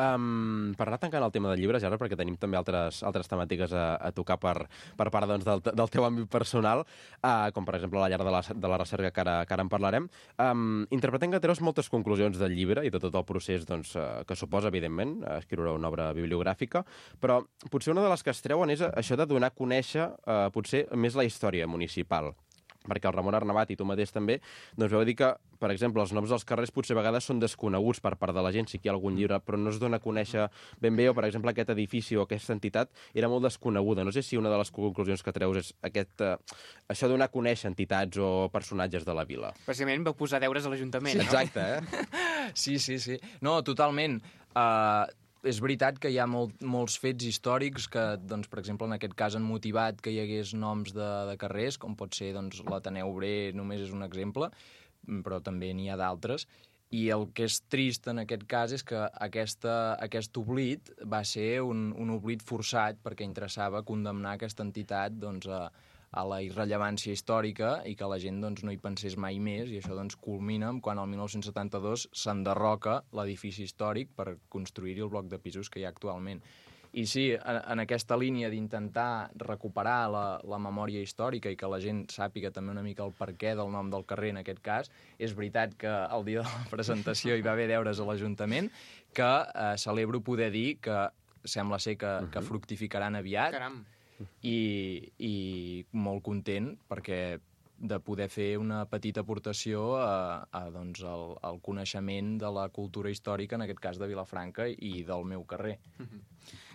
um, per anar tancant el tema del llibre, Gerard, perquè tenim també altres, altres temàtiques a, a tocar per, per part doncs, del, del teu àmbit personal, uh, com per exemple la llar de la, de la recerca, que ara, que ara en parlarem. Um, interpretem que treus moltes conclusions del llibre i de tot el procés doncs, uh, que suposa, evidentment, escriure una obra bibliogràfica, però potser una de les que es treuen és això de donar a conèixer uh, potser més la història municipal. Perquè el Ramon Arnabat i tu mateix també doncs vau dir que, per exemple, els noms dels carrers potser a vegades són desconeguts per part de la gent, sí que hi ha algun llibre, però no es dona a conèixer ben bé, o per exemple aquest edifici o aquesta entitat era molt desconeguda. No sé si una de les conclusions que treus és aquest, uh, això de donar a conèixer entitats o personatges de la vila. Precisament vau posar deures a l'Ajuntament, no? Exacte, eh? Sí, sí, sí. No, totalment. Uh, és veritat que hi ha molt, molts fets històrics que, doncs, per exemple, en aquest cas han motivat que hi hagués noms de, de carrers, com pot ser doncs, l'Ateneu Obrer, només és un exemple, però també n'hi ha d'altres. I el que és trist en aquest cas és que aquesta, aquest oblit va ser un, un oblit forçat perquè interessava condemnar aquesta entitat doncs, a, a la irrellevància històrica i que la gent doncs, no hi pensés mai més, i això doncs, culmina quan el mil nou-cents setanta-dos s'enderroca l'edifici històric per construir-hi el bloc de pisos que hi ha actualment. I sí, en, en aquesta línia d'intentar recuperar la, la memòria històrica i que la gent sàpiga també una mica el perquè del nom del carrer en aquest cas, és veritat que el dia de la presentació hi va haver deures a l'Ajuntament que eh, celebro poder dir que sembla ser que, uh-huh. que fructificaran aviat. Caram. I, i molt content perquè de poder fer una petita aportació a, a, doncs, al, al coneixement de la cultura històrica, en aquest cas de Vilafranca i del meu carrer.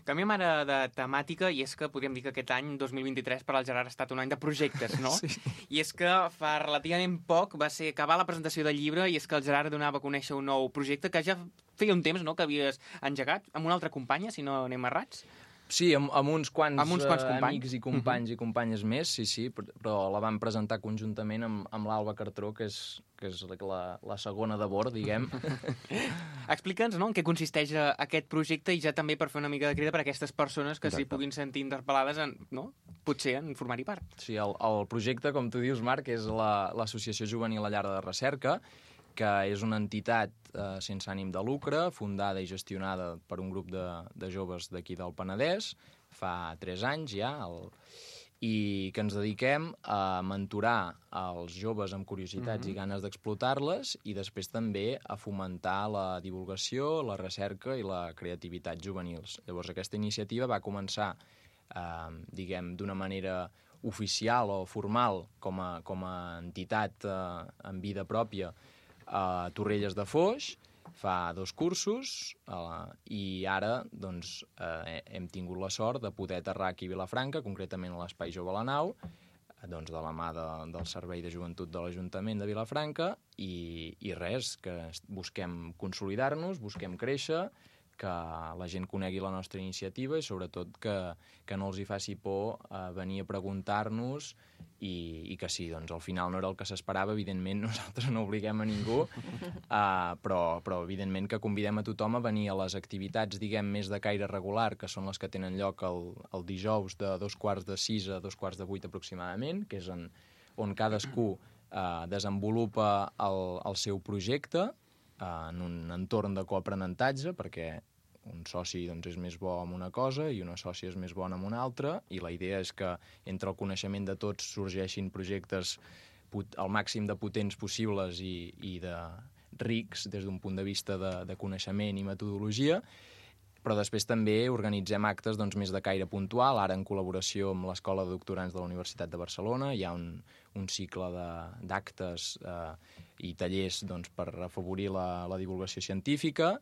Canviem ara de temàtica, i és que podríem dir que aquest any, dos mil vint-i-tres, per al Gerard ha estat un any de projectes, no? Sí. I és que fa relativament poc va ser acabar la presentació del llibre, i és que el Gerard donava a conèixer un nou projecte que ja feia un temps, no?, que havies engegat amb una altra companya, si no anem errats. Sí, amb, amb uns quants, Amb uns quants eh, companys. amics i companys uh -huh. i companyes més, sí, sí, però la vam presentar conjuntament amb, amb l'Alba Cartró, que és, que és la, la segona de bord, diguem. Explica'ns, no?, en què consisteix eh, aquest projecte i ja també per fer una mica de crida per a aquestes persones que Exacte. s'hi puguin sentir interpel·lades, en, no?, potser en formar-hi part. Sí, el, el projecte, com tu dius, Marc, és la- l'Associació Juvenil La Llar de Recerca, que és una entitat eh, sense ànim de lucre, fundada i gestionada per un grup de, de joves d'aquí del Penedès, fa tres anys ja, el, i que ens dediquem a mentorar els joves amb curiositats mm-hmm. i ganes d'explotar-les i després també a fomentar la divulgació, la recerca i la creativitat juvenils. Llavors, aquesta iniciativa va començar, eh, diguem, d'una manera oficial o formal com a, com a entitat eh, en vida pròpia a Torrelles de Foix, fa dos cursos, eh, i ara doncs, eh, hem tingut la sort de poder aterrar aquí a Vilafranca, concretament a l'Espai Jove La Nau, eh, doncs, de la mà de, del Servei de Joventut de l'Ajuntament de Vilafranca, i, i res, que busquem consolidar-nos, busquem créixer, que la gent conegui la nostra iniciativa i sobretot que, que no els hi faci por eh, venir a preguntar-nos i, i que sí, doncs al final no era el que s'esperava, evidentment nosaltres no obliguem a ningú, eh, però, però evidentment que convidem a tothom a venir a les activitats, diguem, més de caire regular, que són les que tenen lloc el, el dijous de dos quarts de sis a dos quarts de vuit aproximadament, que és en, on cadascú eh, desenvolupa el, el seu projecte eh, en un entorn de coaprenentatge, perquè un soci doncs, és més bo amb una cosa i una sòcia és més bona amb una altra, i la idea és que entre el coneixement de tots sorgeixin projectes al màxim de potents possibles i, i de rics des d'un punt de vista de, de coneixement i metodologia, però després també organitzem actes doncs, més de caire puntual, ara en col·laboració amb l'Escola de Doctorants de la Universitat de Barcelona. Hi ha un, un cicle d'actes eh, i tallers doncs, per afavorir la, la divulgació científica.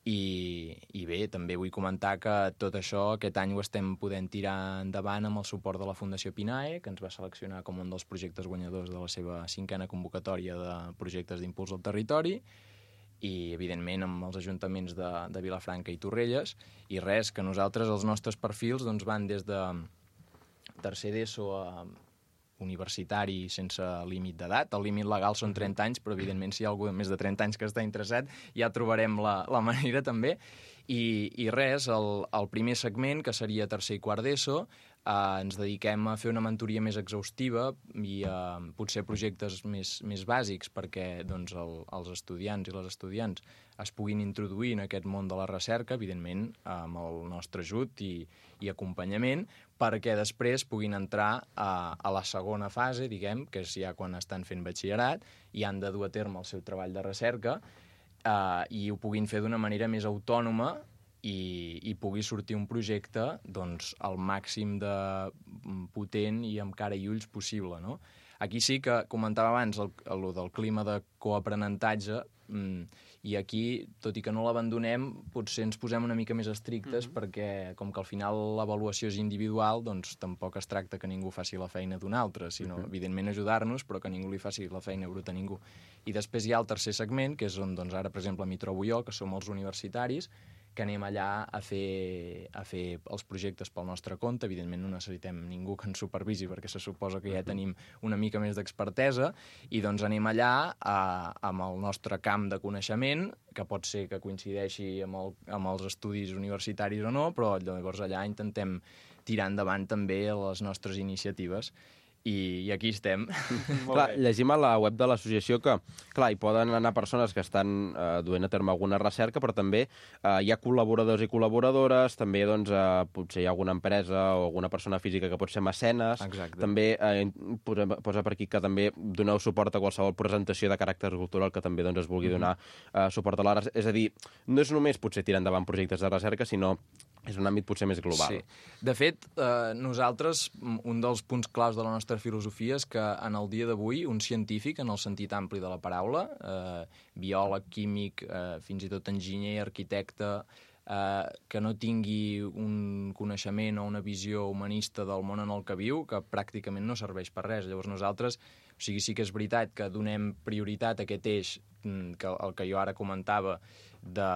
I, i bé, també vull comentar que tot això aquest any ho estem podent tirar endavant amb el suport de la Fundació Pinae, que ens va seleccionar com un dels projectes guanyadors de la seva cinquena convocatòria de projectes d'impuls al territori, i evidentment amb els ajuntaments de, de Vilafranca i Torrelles, i res, que nosaltres els nostres perfils doncs, van des de tercer d'ESO a universitari sense límit d'edat. El límit legal són trenta anys, però evidentment si hi ha algú de més de trenta anys que està interessat ja trobarem la, la manera també. I, i res, el, el primer segment, que seria tercer i quart d'ESO, eh, ens dediquem a fer una mentoria més exhaustiva i eh, potser projectes més, més bàsics perquè doncs, el, els estudiants i les estudiants es puguin introduir en aquest món de la recerca, evidentment amb el nostre ajut i, i acompanyament, perquè després puguin entrar a, a la segona fase, diguem, que és ja quan estan fent batxillerat i han de dur a terme el seu treball de recerca, eh, i ho puguin fer d'una manera més autònoma i, i pugui sortir un projecte doncs, al màxim de potent i amb cara i ulls possible, no? Aquí sí que comentava abans el, el del clima de coaprenentatge, i aquí, tot i que no l'abandonem, potser ens posem una mica més estrictes, mm-hmm. perquè com que al final l'avaluació és individual, doncs tampoc es tracta que ningú faci la feina d'un altre, sinó, mm-hmm. evidentment, ajudar-nos, però que ningú li faci la feina bruta a ningú. I després hi ha el tercer segment, que és on doncs, ara, per exemple, m'hi trobo jo, que som els universitaris, que anem allà a fer, a fer els projectes pel nostre compte. Evidentment no necessitem ningú que ens supervisi perquè se suposa que ja tenim una mica més d'expertesa, i doncs anem allà a, amb el nostre camp de coneixement, que pot ser que coincideixi amb, el, amb els estudis universitaris o no, però llavors allà intentem tirar endavant també les nostres iniciatives. I, i aquí estem. Clar, llegim a la web de l'associació que, clar, hi poden anar persones que estan eh, duent a terme alguna recerca, però també eh, hi ha col·laboradors i col·laboradores, també doncs, eh, potser hi ha alguna empresa o alguna persona física que pot ser mecenes. Exacte. També eh, posa, posa per aquí que també doneu suport a qualsevol presentació de caràcter cultural que també doncs, es vulgui donar eh, suport a la recerca. És a dir, no és només potser tirar endavant projectes de recerca, sinó és un àmbit potser més global. Sí. De fet, eh, nosaltres, un dels punts claus de la nostra filosofia és que en el dia d'avui un científic, en el sentit ampli de la paraula, eh, biòleg, químic, eh, fins i tot enginyer, arquitecte, eh, que no tingui un coneixement o una visió humanista del món en el que viu, que pràcticament no serveix per res. Llavors nosaltres O sigui, sí que és veritat que donem prioritat a aquest eix, que el que jo ara comentava, de,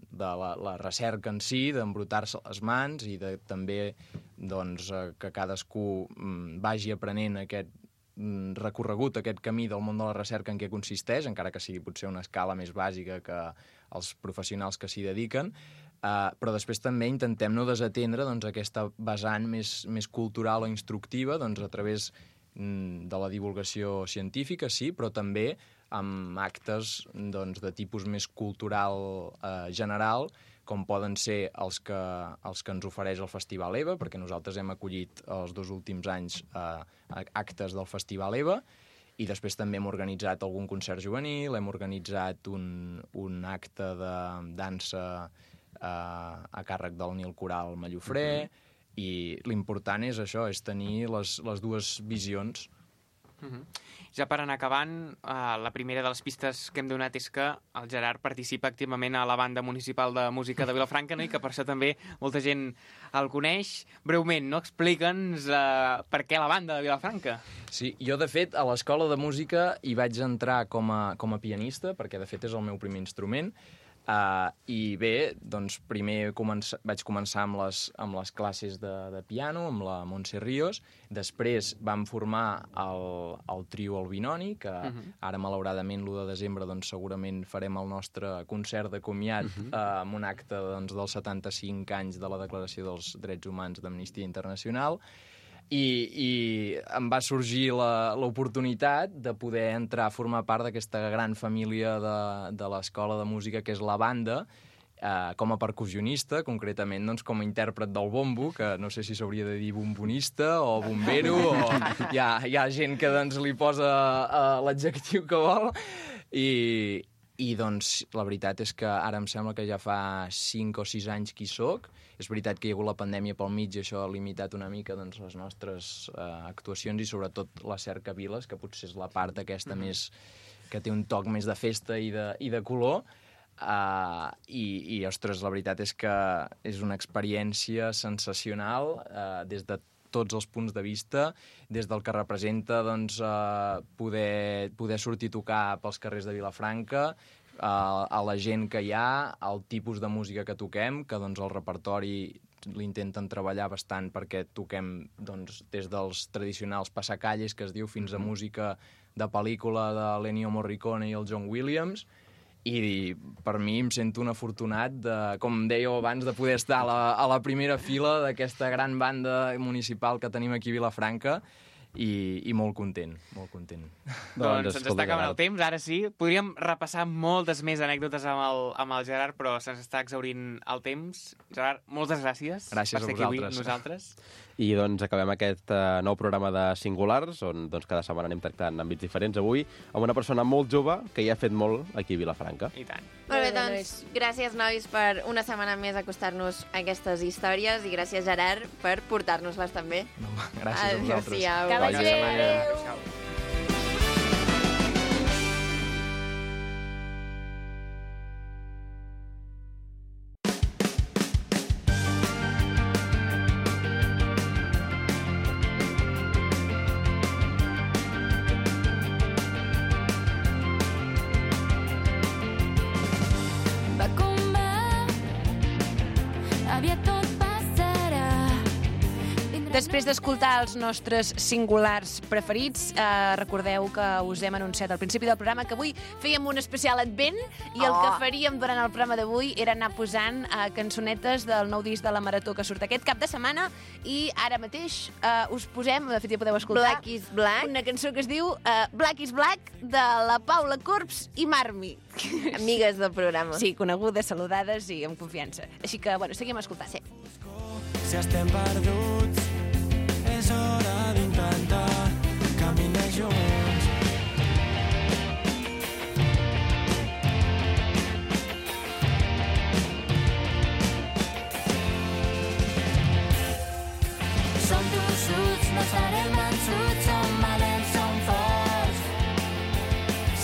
de la, la recerca en si, d'embrutar-se les mans i de també doncs, que cadascú vagi aprenent aquest recorregut, aquest camí del món de la recerca en què consisteix, encara que sigui potser una escala més bàsica que els professionals que s'hi dediquen, uh, però després també intentem no desatendre doncs, aquesta vessant més, més cultural o instructiva doncs, a través de la divulgació científica, sí, però també amb actes doncs, de tipus més cultural eh, general, com poden ser els que, els que ens ofereix el Festival EVA, perquè nosaltres hem acollit els dos últims anys eh, actes del Festival EVA, i després també hem organitzat algun concert juvenil, hem organitzat un, un acte de dansa eh, a càrrec del Nil Coral Mallofré, mm-hmm. i l'important és això, és tenir les, les dues visions. Mm-hmm. Ja per anar acabant, uh, la primera de les pistes que hem donat és que el Gerard participa activament a la banda municipal de música de Vilafranca, no? I que per això també molta gent el coneix. Breument, no? Explica'ns uh, per què la banda de Vilafranca. Sí, jo de fet a l'escola de música hi vaig entrar com a, com a pianista, perquè de fet és el meu primer instrument. Uh, I bé, doncs primer comença, vaig començar amb les, amb les classes de, de piano, amb la Montse Ríos, després vam formar el, el trio El Binoni, que uh-huh. ara malauradament l'u de desembre doncs, segurament farem el nostre concert de comiat uh-huh. uh, amb un acte doncs, dels setanta-cinc anys de la Declaració dels Drets Humans d'Amnistia Internacional. I, i em va sorgir l'oportunitat de poder entrar a formar part d'aquesta gran família de, de l'escola de música que és la banda, eh, com a percussionista, concretament doncs, com a intèrpret del bombo, que no sé si s'hauria de dir bombonista o bombero, o hi ha, hi ha gent que doncs, li posa eh, l'adjectiu que vol, i... I doncs la veritat és que ara em sembla que ja fa cinc o sis anys que hi soc. És veritat que hi ha hagut la pandèmia pel mig i això ha limitat una mica doncs, les nostres eh, actuacions i sobretot la cercaviles, que potser és la part aquesta mm-hmm. més que té un toc més de festa i de, i de color. Uh, i, i, ostres, la veritat és que és una experiència sensacional uh, des de tots els punts de vista, des del que representa doncs, eh, poder, poder sortir a tocar pels carrers de Vilafranca, eh, a la gent que hi ha, el tipus de música que toquem, que doncs, el repertori l'intenten treballar bastant perquè toquem doncs, des dels tradicionals passacalles, que es diu, fins a música de pel·lícula de l'Ennio Morricone i el John Williams, i per mi em sento un afortunat, de, com dèieu abans, de poder estar a la, a la primera fila d'aquesta gran banda municipal que tenim aquí a Vilafranca i, i molt content, molt content. Doncs se'ns està acabant el temps, ara sí. Podríem repassar moltes més anècdotes amb el, amb el Gerard, però se'ns està exhaurint el temps. Gerard, moltes gràcies, gràcies per ser aquí avui amb nosaltres. I doncs acabem aquest uh, nou programa de Singulars, on doncs, cada setmana anem tractant àmbits diferents. Avui amb una persona molt jove que ja ha fet molt aquí a Vilafranca. I tant. Molt bé, doncs, gràcies, nois, per una setmana més acostar-nos a aquestes històries i gràcies, Gerard, per portar-nos-les també. No, gràcies a vosaltres. Adéu-siau. Que vagi bé. Adéu. Adéu. Després d'escoltar els nostres singulars preferits, eh, recordeu que us hem anunciat al principi del programa que avui fèiem un especial advent i el Oh. que faríem durant el programa d'avui era anar posant eh, cançonetes del nou disc de la Marató que surt aquest cap de setmana i ara mateix eh, us posem, de fet ja podeu escoltar, Black is Black. una cançó que es diu eh, Black is Black de la Paula Corbs i Marmi. Amigues del programa. Sí, conegudes, saludades i amb confiança. Així que, bueno, seguim escoltant. Sí. Si estem perduts, és hora d'intentar caminar junts. Som tossuts, no serem vençuts, som valents, som forts.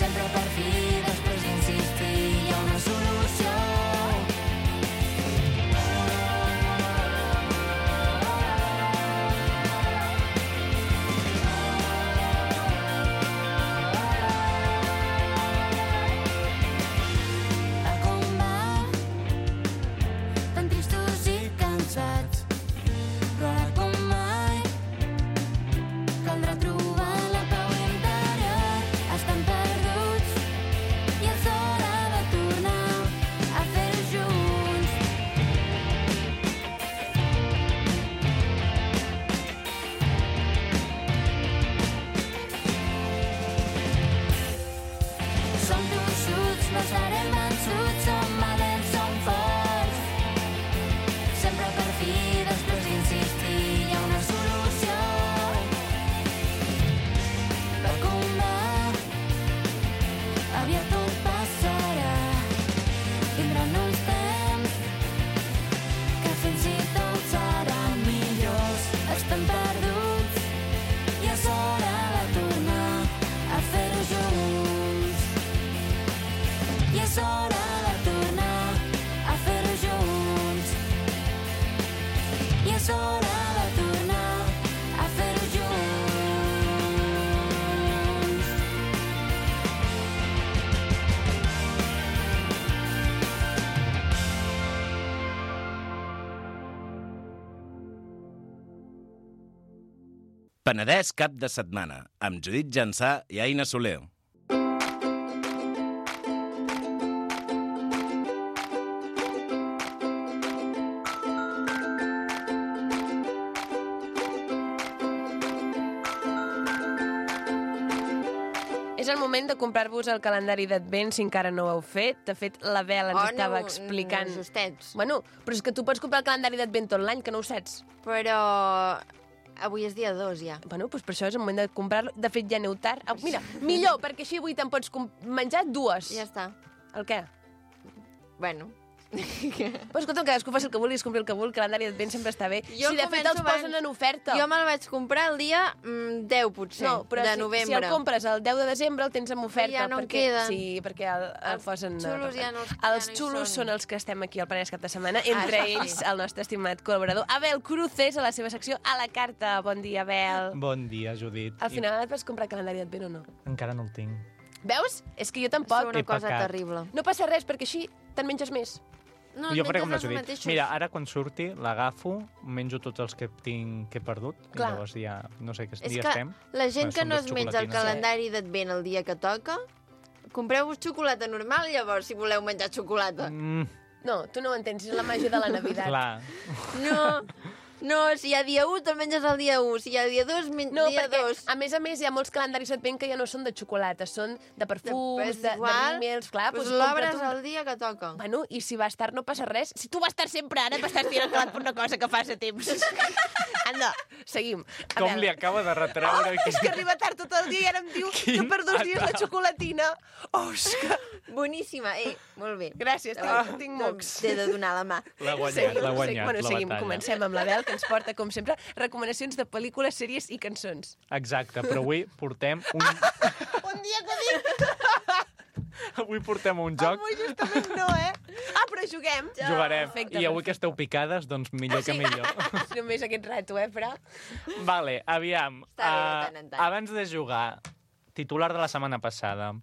Sempre per fi, després d'insistir, hi ha una solució. Penedès cap de setmana, amb Judit Jansà i Aina Soler. És el moment de comprar-vos el calendari d'Advent si encara no ho heu fet. De fet, la Bel ens Oh, estava no, explicant... no, justets. Bueno, però és que tu pots comprar el calendari d'Advent tot l'any, que no ho saps. Però avui és dia dos, ja. Bueno, doncs per això és el moment de comprar-lo. De fet, ja aneu tard. Ah, mira, millor, perquè així avui te'n pots menjar dues. Ja està. El què? Bueno. Però escolta'm, cadascú faci el que vulgui, es compri el que vulgui, el calendari d'Advent sempre està bé. Jo si de fet els començo posen abans. en oferta. Jo me'l vaig comprar el dia mm, deu, potser, No, però de si, novembre. si el compres el deu de desembre el tens en oferta. Ja no en perquè, queden. Sí, perquè el, el Els posen... xulos ja no- ja Els no hi xulos són. són els que estem aquí al Penedès cap de setmana, entre Ah, sí. ells el nostre estimat col·laborador Abel Cruces, a la seva secció A la carta. Bon dia, Abel. Bon dia, Judit. Al final et vas comprar el calendari d'Advent o no? I encara no el tinc. Veus? És que jo És tampoc. una He cosa pecat. terrible. No passa res, perquè així te'n menges més. No, jo faré menges com la els Judit. mateixos. Mira, ara quan surti l'agafo, menjo tots els que tinc que he perdut, Clar. i llavors ja no sé què És dia que estem. la gent Bueno, que són no dos es menja el xocolatines. calendari d'Advent el dia que toca, compreu-vos xocolata normal, llavors, si voleu menjar xocolata. Mm, No, tu no ho entens, és la màgia de la Navidad. clar. No, no, si hi ha dia u, te'l menges el dia u. Si hi ha dia dos, men No, dia perquè, dos. a més a més, hi ha molts calendaris d'Advent que ja no són de xocolata, són de perfums, És de, de igual, rímels, clar. pues doncs l'obres compra-t'ho. el dia que toca. Bueno, i si vas tard no passa res. Si tu vas tard sempre ara, t'estàs tirant calat per una cosa que fas a temps. Anda, seguim. A Com veure. li acaba de retreure... Oh, és que arriba tard tot el dia i ara em diu que per dos dies la xocolatina. Oh, és que... Boníssima, eh, molt bé. Gràcies, tinc, Ah, tinc doncs mocs. T'he de donar la mà. L'ha guanyat, Seguim, l'ha seguim. guanyat, Bueno, la seguim, batalla. comencem amb la Bel, que ens porta, com sempre, recomanacions de pel·lícules, sèries i cançons. Exacte, però avui portem un... Un dia que dic... avui portem un joc. Avui justament no, eh? Ah, però juguem. Jugarem. Perfecte, I avui que perfecte. esteu picades, doncs millor que millor. Només aquest rato, eh, però... Vale, aviam. Està bé, de ah, tant en tant. abans de jugar, titular de la setmana passada,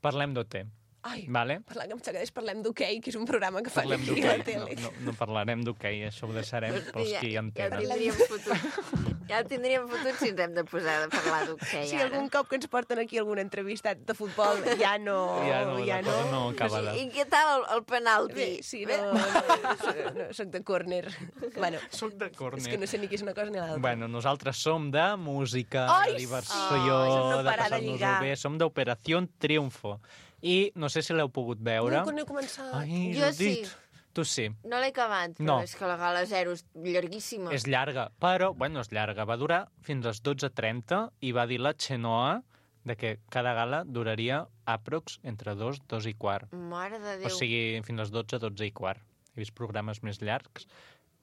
parlem d'O T. Ai, Vale? parlant que em s'agrada, parlem d'hoquei, que és un programa que fan Parlem aquí a la d'hoquei. tele. No, no, no parlarem d'hoquei, això ho deixarem pels Ja- qui Ja el entenen. tindríem fotut. Ja el tindríem fotut si ens hem de posar a parlar d'hoquei, Si ara. algun cop que ens porten aquí algun entrevistat de futbol, ja no... Ja no, ja la cosa no acaba de... I què tal el, el penalti? Bé, sí, no, no, no, soc de córner. Bueno, Soc de córner. és que no sé ni què és una cosa ni l'altra. Bueno, nosaltres som de música, Ai, de diversió, sí! Ai, no de parar de passar-nos-ho lligar. bé. Som d'Operació Triunfo. I no sé si l'heu pogut veure. No, no he començat. Ai, Jo Judit, sí. tu sí. No l'he acabat, però No. és que la gala zero és llarguíssima. És llarga, però, bueno, és llarga. Va durar fins a les dotze trenta i va dir la Xenoa de que cada gala duraria aprox entre dos, dos i quart. Mare de Déu. O sigui, fins a les dotze, dotze i quart. He vist programes més llargs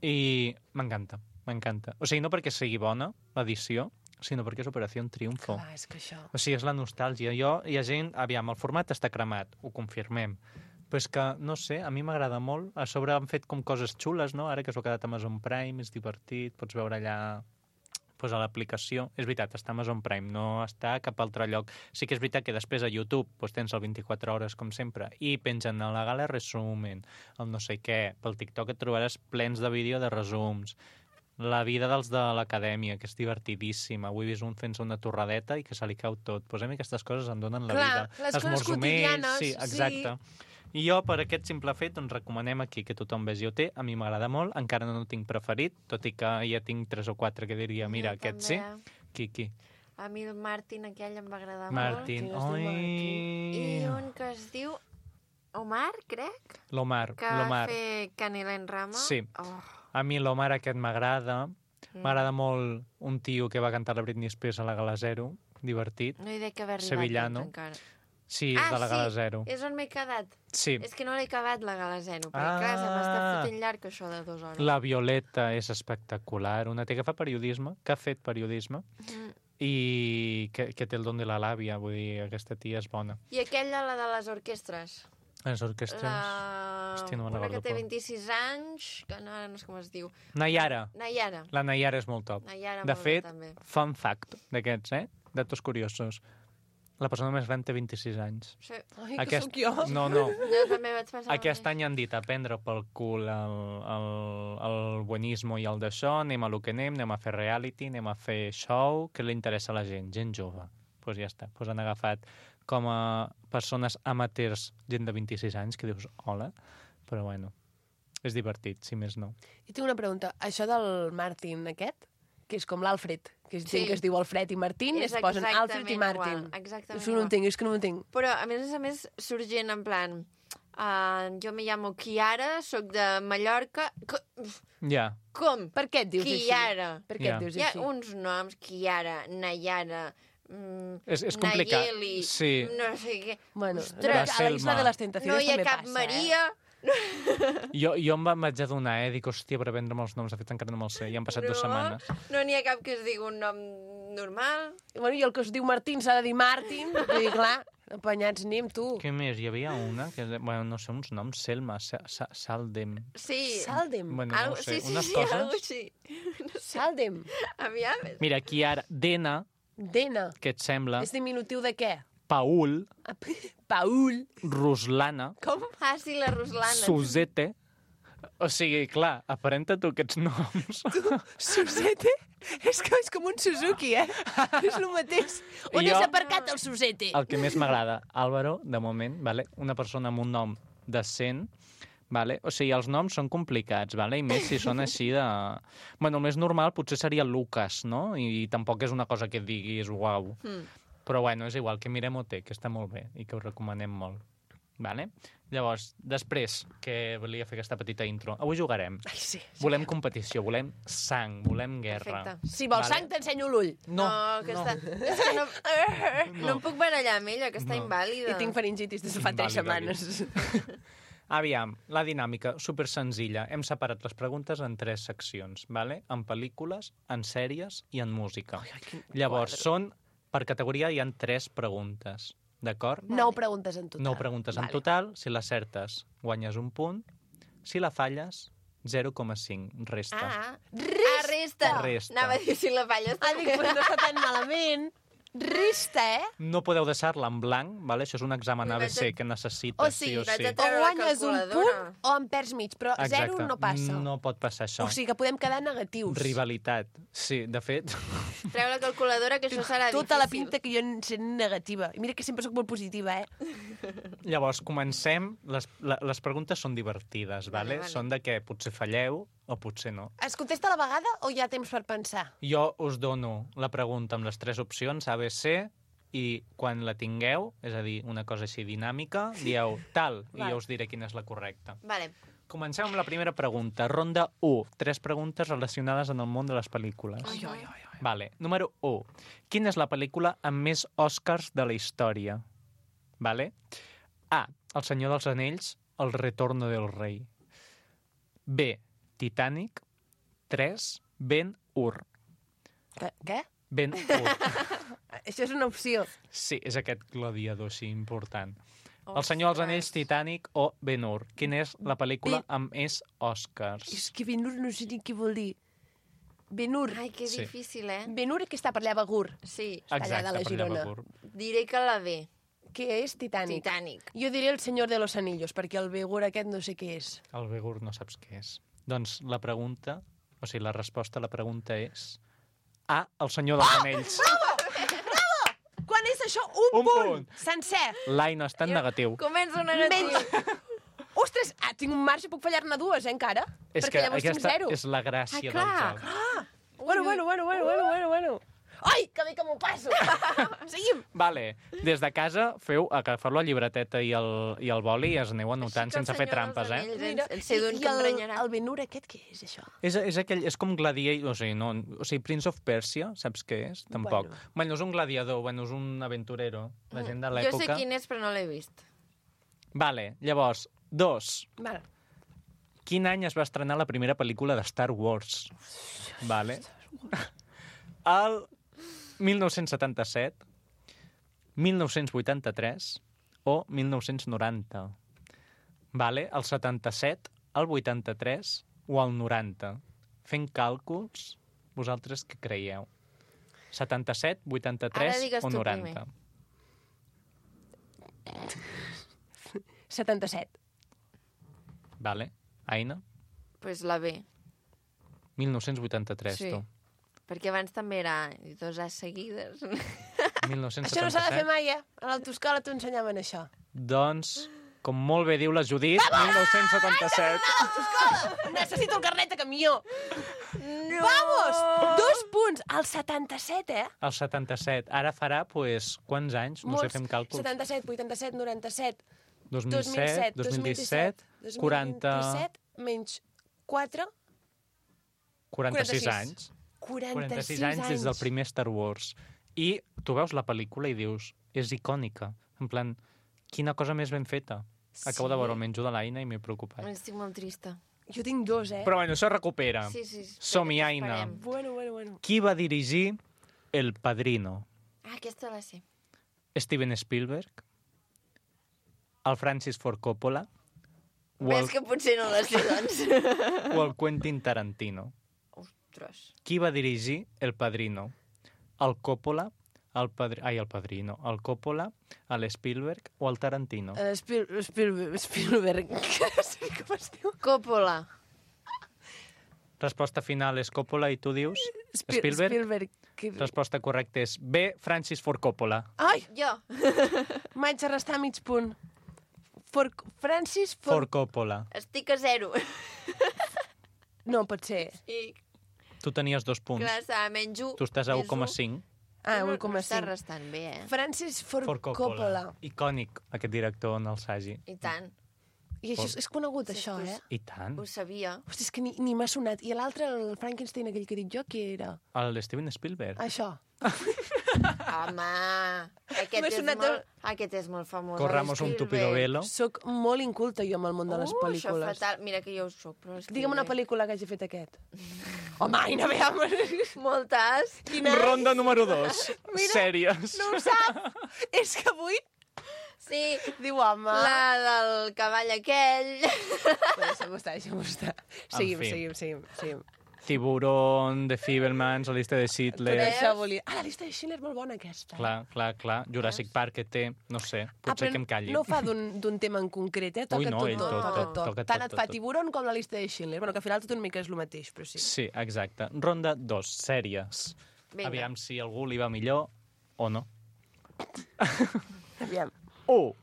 i m'encanta, m'encanta. O sigui, no perquè sigui bona l'edició, sinó perquè és Operació Triunfo. Clar, és que això... O sigui, és la nostàlgia. Jo, hi ha gent... Aviam, el format està cremat, ho confirmem. Però és que, no sé, a mi m'agrada molt. A sobre han fet com coses xules, no? Ara que s'ho ha quedat a Amazon Prime, és divertit, pots veure allà pues, a l'aplicació. És veritat, està a Amazon Prime, no està a cap altre lloc. Sí que és veritat que després a YouTube pues, tens el vint-i-quatre hores, com sempre, i pengen a la gala resumen, el no sé què. Pel TikTok et trobaràs plens de vídeo de resums. La vida dels de l'acadèmia, que és divertidíssima. Avui he vist un fent una torradeta i que se li cau tot. Pues a mi aquestes coses em donen la Clar, vida. les coses Esmorzar més, quotidianes, sí, exacte. I jo, per aquest simple fet, doncs recomanem aquí que tothom vegi O T. A mi m'agrada molt, encara no ho tinc preferit, tot i que ja tinc tres o quatre que diria, mira, Jo aquest sí. també. Qui, qui? A mi el Martin aquell em va agradar Martin. Quin es diu molt. I Oi! un que es diu Omar, crec, L'Omar, que va l'Omar. fer Canela en Rama. Sí. Oh, A mi l'Omar aquest m'agrada. Mm. M'agrada molt un tio que va cantar la Britney Spears a la Gala Zero, divertit. no hi dec haver arribat Sevillano. doncs, encara. Sí, és ah, de la Gala sí, Zero. és on m'he quedat. Sí. És que no l'he acabat, la Gala Zero, perquè Ah. clar, se m'està fotent llarg això de dues hores. La Violeta és espectacular, una tia que fa periodisme, que ha fet periodisme, Mm. i que, que té el don de la làbia, vull dir, aquesta tia és bona. I aquella, la de les orquestres. Les orquestres... La... Hòstia, no me'n Una que recordo té com. vint-i-sis anys, que no, no sé com es diu. Nayara. Nayara. La Nayara és molt top. Nayara De molt bé, fet, també. fun fact d'aquests, eh? Datos curiosos. La persona més gran té vint-i-sis anys. Sí. Ai, que sóc jo. No, no. Jo també vaig pensar... Aquest any han dit a prendre pel cul el, el, el buenismo i el d'això, anem a lo que anem, anem a fer reality, anem a fer show, que li interessa a la gent, gent jove. Doncs pues ja està, pues han agafat com a persones amateurs gent de vint-i-sis anys, que dius, hola, però bueno, és divertit, si més no. I tinc una pregunta, això del Martin aquest, que és com l'Alfred, que és Sí. gent que es diu Alfred i Martin, És es posen exactament Alfred i Martin. igual, exactament És que no igual. entenc, és que no entenc. Però, a més a més, surt gent en plan... Uh, jo me llamo Kiara, sóc de Mallorca... Co Ja. Com? Per què et dius així? Kiara. Per què Ja. et dius Hi ha així? uns noms, Kiara, Nayara... Mm, És, és complicat. Nayeli, Sí. no sé què... Bueno, Ostres, a la Isla Selma. de les Tentaciones no hi ha també cap passa, Maria... Jo, jo em va- vaig adonar, eh? Dic, hòstia, per aprendre els noms, de fet encara no me'ls sé, ja han passat no, dues setmanes. No n'hi ha cap que es digui un nom normal. Eh? Bueno, i el que es diu Martín s'ha de dir Martin, vull dir, clar, apanyats anem, tu. Què més? Hi havia una, que, bueno, no sé, uns noms, Selma, Sa Sa Saldem... Sí. Saldem. Bueno, no Algo, ho sé, sí, sí, unes sí, coses... algo així. Saldem. Aviam. Mira, aquí ara, Dena, Dena. què et sembla? És diminutiu de què? Paul, Paul. Ruslana, Com? Ah, sí, la Ruslana. Suzette... O sigui, clar, aparenta tu aquests noms. Susete? És que és com un Suzuki, eh? És el mateix. On I jo- és aparcat el Susete? El que més m'agrada, Álvaro, de moment, vale? Una persona amb un nom decent, vale? O sigui, els noms són complicats, vale? I més si són així de... Bueno, el més normal potser seria Lucas, no? I tampoc és una cosa que et diguis uau. Mm. Però bueno, és igual, que mirem O T, que està molt bé i que ho recomanem molt. Vale? Llavors, després que volia fer aquesta petita intro, avui jugarem. Ai, sí. Volem competició, volem sang, volem guerra. Perfecte. Si vols Vale. sang, t'ensenyo l'ull. No, no, que no. Està... És que no... no em puc barallar amb ella, que està No. invàlida. I tinc faringitis des de fa tres Invàlida, setmanes. Aviam, la dinàmica, super senzilla. Hem separat les preguntes en tres seccions, vale? En pel·lícules, en sèries i en música. Ai, ai, quin Llavors, quadre. són, per categoria hi han tres preguntes, d'acord? Nou preguntes en total. Nou preguntes en Vale. total. Si l'acertes, guanyes un punt. Si la falles, zero coma cinc, resta. Ah, Resta! ah, resta. Resta. Anava a dir si la falles. Ah, dic, pues no està tan malament. Resta, eh? No podeu deixar-la en blanc, vale? Això és un examen Ui, A B C vaig a- que necessites O sí sigui, o vaig sí. a O treure la guanyes un calculadora. punt o en perds mig, però zero no passa. No pot passar això. O sigui que podem quedar negatius. Rivalitat. Sí, de fet... Treu la calculadora, que això serà Tota la difícil. pinta que jo en sent negativa. I mira que sempre sóc molt positiva, eh? Llavors, comencem. Les, la, les preguntes són divertides, Vale, vale? vale. Són de què potser falleu o potser no. Es contesta a la vegada o hi ha temps per pensar? Jo us dono la pregunta amb les tres opcions, A, B, C, i quan la tingueu, és a dir, una cosa així dinàmica, dieu tal, i Vale. jo us diré quina és la correcta. Vale. Comencem amb la primera pregunta. Ronda u. Tres preguntes relacionades en el món de les pel·lícules. Ai, ai, ai, ai. Vale. Número u. Quina és la pel·lícula amb més Oscars de la història? Vale. A. El Senyor dels Anells, El retorno del rei. B. Titanic. tres. Ben-Hur. Què? Què? Ben-Hur. Això és una opció. Sí, és aquest gladiador així important. El Senyor dels Anells, Titanic o Ben-Hur. Quina és la pel·lícula Ben- amb més Oscars? És que Ben-Hur no sé ni què vol dir. Ben-Hur. Ai, que Sí. difícil, eh? Ben-Hur que està per allà a Begur, Sí. allà Exacte, de la per allà Girona. Begur. Diré que la B. que és Titanic. Titanic. Jo diré El Senyor de los Anillos, perquè el Begur aquest no sé què és. El Begur no saps què és. Doncs la pregunta, o sigui, la resposta a la pregunta és A, El Senyor dels Anells. Quan és això? Un, Un punt! punt. Sencer! L'Ai no està en negatiu. Comença un negatiu. Menys... Ostres, ah, tinc un marge, puc fallar-ne dues, eh, encara? És perquè que llavors tinc aquesta zero. és la gràcia Ah, del clar, joc. Ah! Bueno, bueno, bueno, bueno, bueno, bueno, bueno. Ai, que bé que m'ho passo! Seguim! Vale, des de casa feu agafar la llibreteta i el, i el boli i es aneu anotant Així que el sense fer Senyor trampes, dels eh? Anells, Mira, el sé d'un i que em el, renyarà. el Ben-Hur aquest, què és, això? És, és, aquell, és com gladiator, o sigui, no, o sigui, Prince of Persia, saps què és? Tampoc. Bueno. Bueno, bueno és un gladiador, bueno, és un aventurero, la gent de Jo sé l'època. quin és, però no l'he vist. Vale, llavors, dos. Vale. Quin any es va estrenar la primera pel·lícula de Star Wars? Vale. El mil nou-cents setanta-set, mil nou-cents vuitanta-tres o mil nou-cents noranta. Vale, el setanta-set, el vuitanta-tres o el noranta. Fent càlculs, vosaltres què creieu? setanta-set, Ara vuitanta-tres digues o tu noranta? setanta-set. Vale. Aina? Pues la B. mil nou-cents vuitanta-tres, Sí. tu. Perquè abans també era dos A's seguides. mil nou-cents Això no s'ha de fer setanta-set. mai, eh? A l'autoescola t'ho ensenyaven, això. Doncs, com molt bé diu la Judit, mil nou-cents setanta-set. Necessito el carnet de camió. No! Vamos! Dos punts. Al setanta-set, eh? El setanta-set. Ara farà, pues, quants anys? No sé, fem càlculs. setanta-set, vuitanta-set, noranta-set, dos mil set, dos mil disset, quaranta... dos mil vint-i-set, menys quatre... quaranta-sis anys. quaranta-sis, quaranta-sis anys des del primer Star Wars. I tu veus la pel·lícula i dius, és icònica. En plan, quina cosa més ben feta. Acabo Sí. de veure el menjo de l'Aina i m'he preocupat. Estic molt trista. Jo tinc dos, eh? Però bueno, això es recupera. Sí, sí. espera, Som-hi, que Aina. esperem. Bueno, bueno, bueno. Qui va dirigir El Padrino? Ah, aquesta la sé. Steven Spielberg? El Francis Ford Coppola? O el, Ves que potser no la sé, doncs. o el Quentin Tarantino? Ostres. Qui va dirigir El Padrino? El Coppola? El padri... Ai, el Padrino. El Coppola? L'Spielberg o el Tarantino? Uh, Spiel, Spielberg, Spielberg. No sé com es diu. Coppola. Resposta final és Coppola i tu dius Spiel- Spielberg? Spielberg. Que... Resposta correcta és B, Francis Ford Coppola. Ai, Jo. m'haig de restar mig punt. For... Francis For... Ford Coppola. Estic a zero. No, pot ser. I, Tu tenies dos punts. clar, està, menys un. Tu estàs a més u coma un. cinc. Ah, No, un coma no està cinc. restant bé, eh? Francis For... Ford Coppola. Coppola. Icònic, aquest director en el Sagi. I tant. I això és, és conegut, Sí, això, pues- eh? I tant. Ho sabia. Hosti, és que ni, ni m'ha sonat. I l'altre, el Frankenstein, aquell que he dit jo, qui era? El Steven Spielberg. Això. Home, aquest M'ha és, sonat molt, el- aquest és molt famós. Corramos un tupido velo. Soc molt inculta jo amb el món de les Uh, això pel·lícules. fatal. Mira que jo ho soc, però... és que Digue'm una bé. pel·lícula que hagi fet aquest. Home, Aina, veam. Moltes. Quina... Ronda número dos. Mira, Sèries. No ho sap. És que avui Sí, diu, home... la del cavall aquell. Deixa'm estar, deixa'm estar. Seguim, fi. seguim, seguim, seguim. Tiburón, The Fabelmans, la llista de Tot Schindler. això volia... Ah, la llista de Schindler és molt bona, aquesta. Clar, clar, clar. Jurassic Park que té, no sé, Ah, potser però que em calli. no fa d'un d'un tema en concret, eh? Toca Ui, no, tot, ell tot, tot, tot, tot, tot. toca Tant tot, et fa tot, tot. Tiburon com la llista de Schindler. Bueno, que al final tot una mica és el mateix, però sí. Sí, exacte. Ronda dos, sèries. Vinga. Aviam si algú li va millor o no. Aviam. u.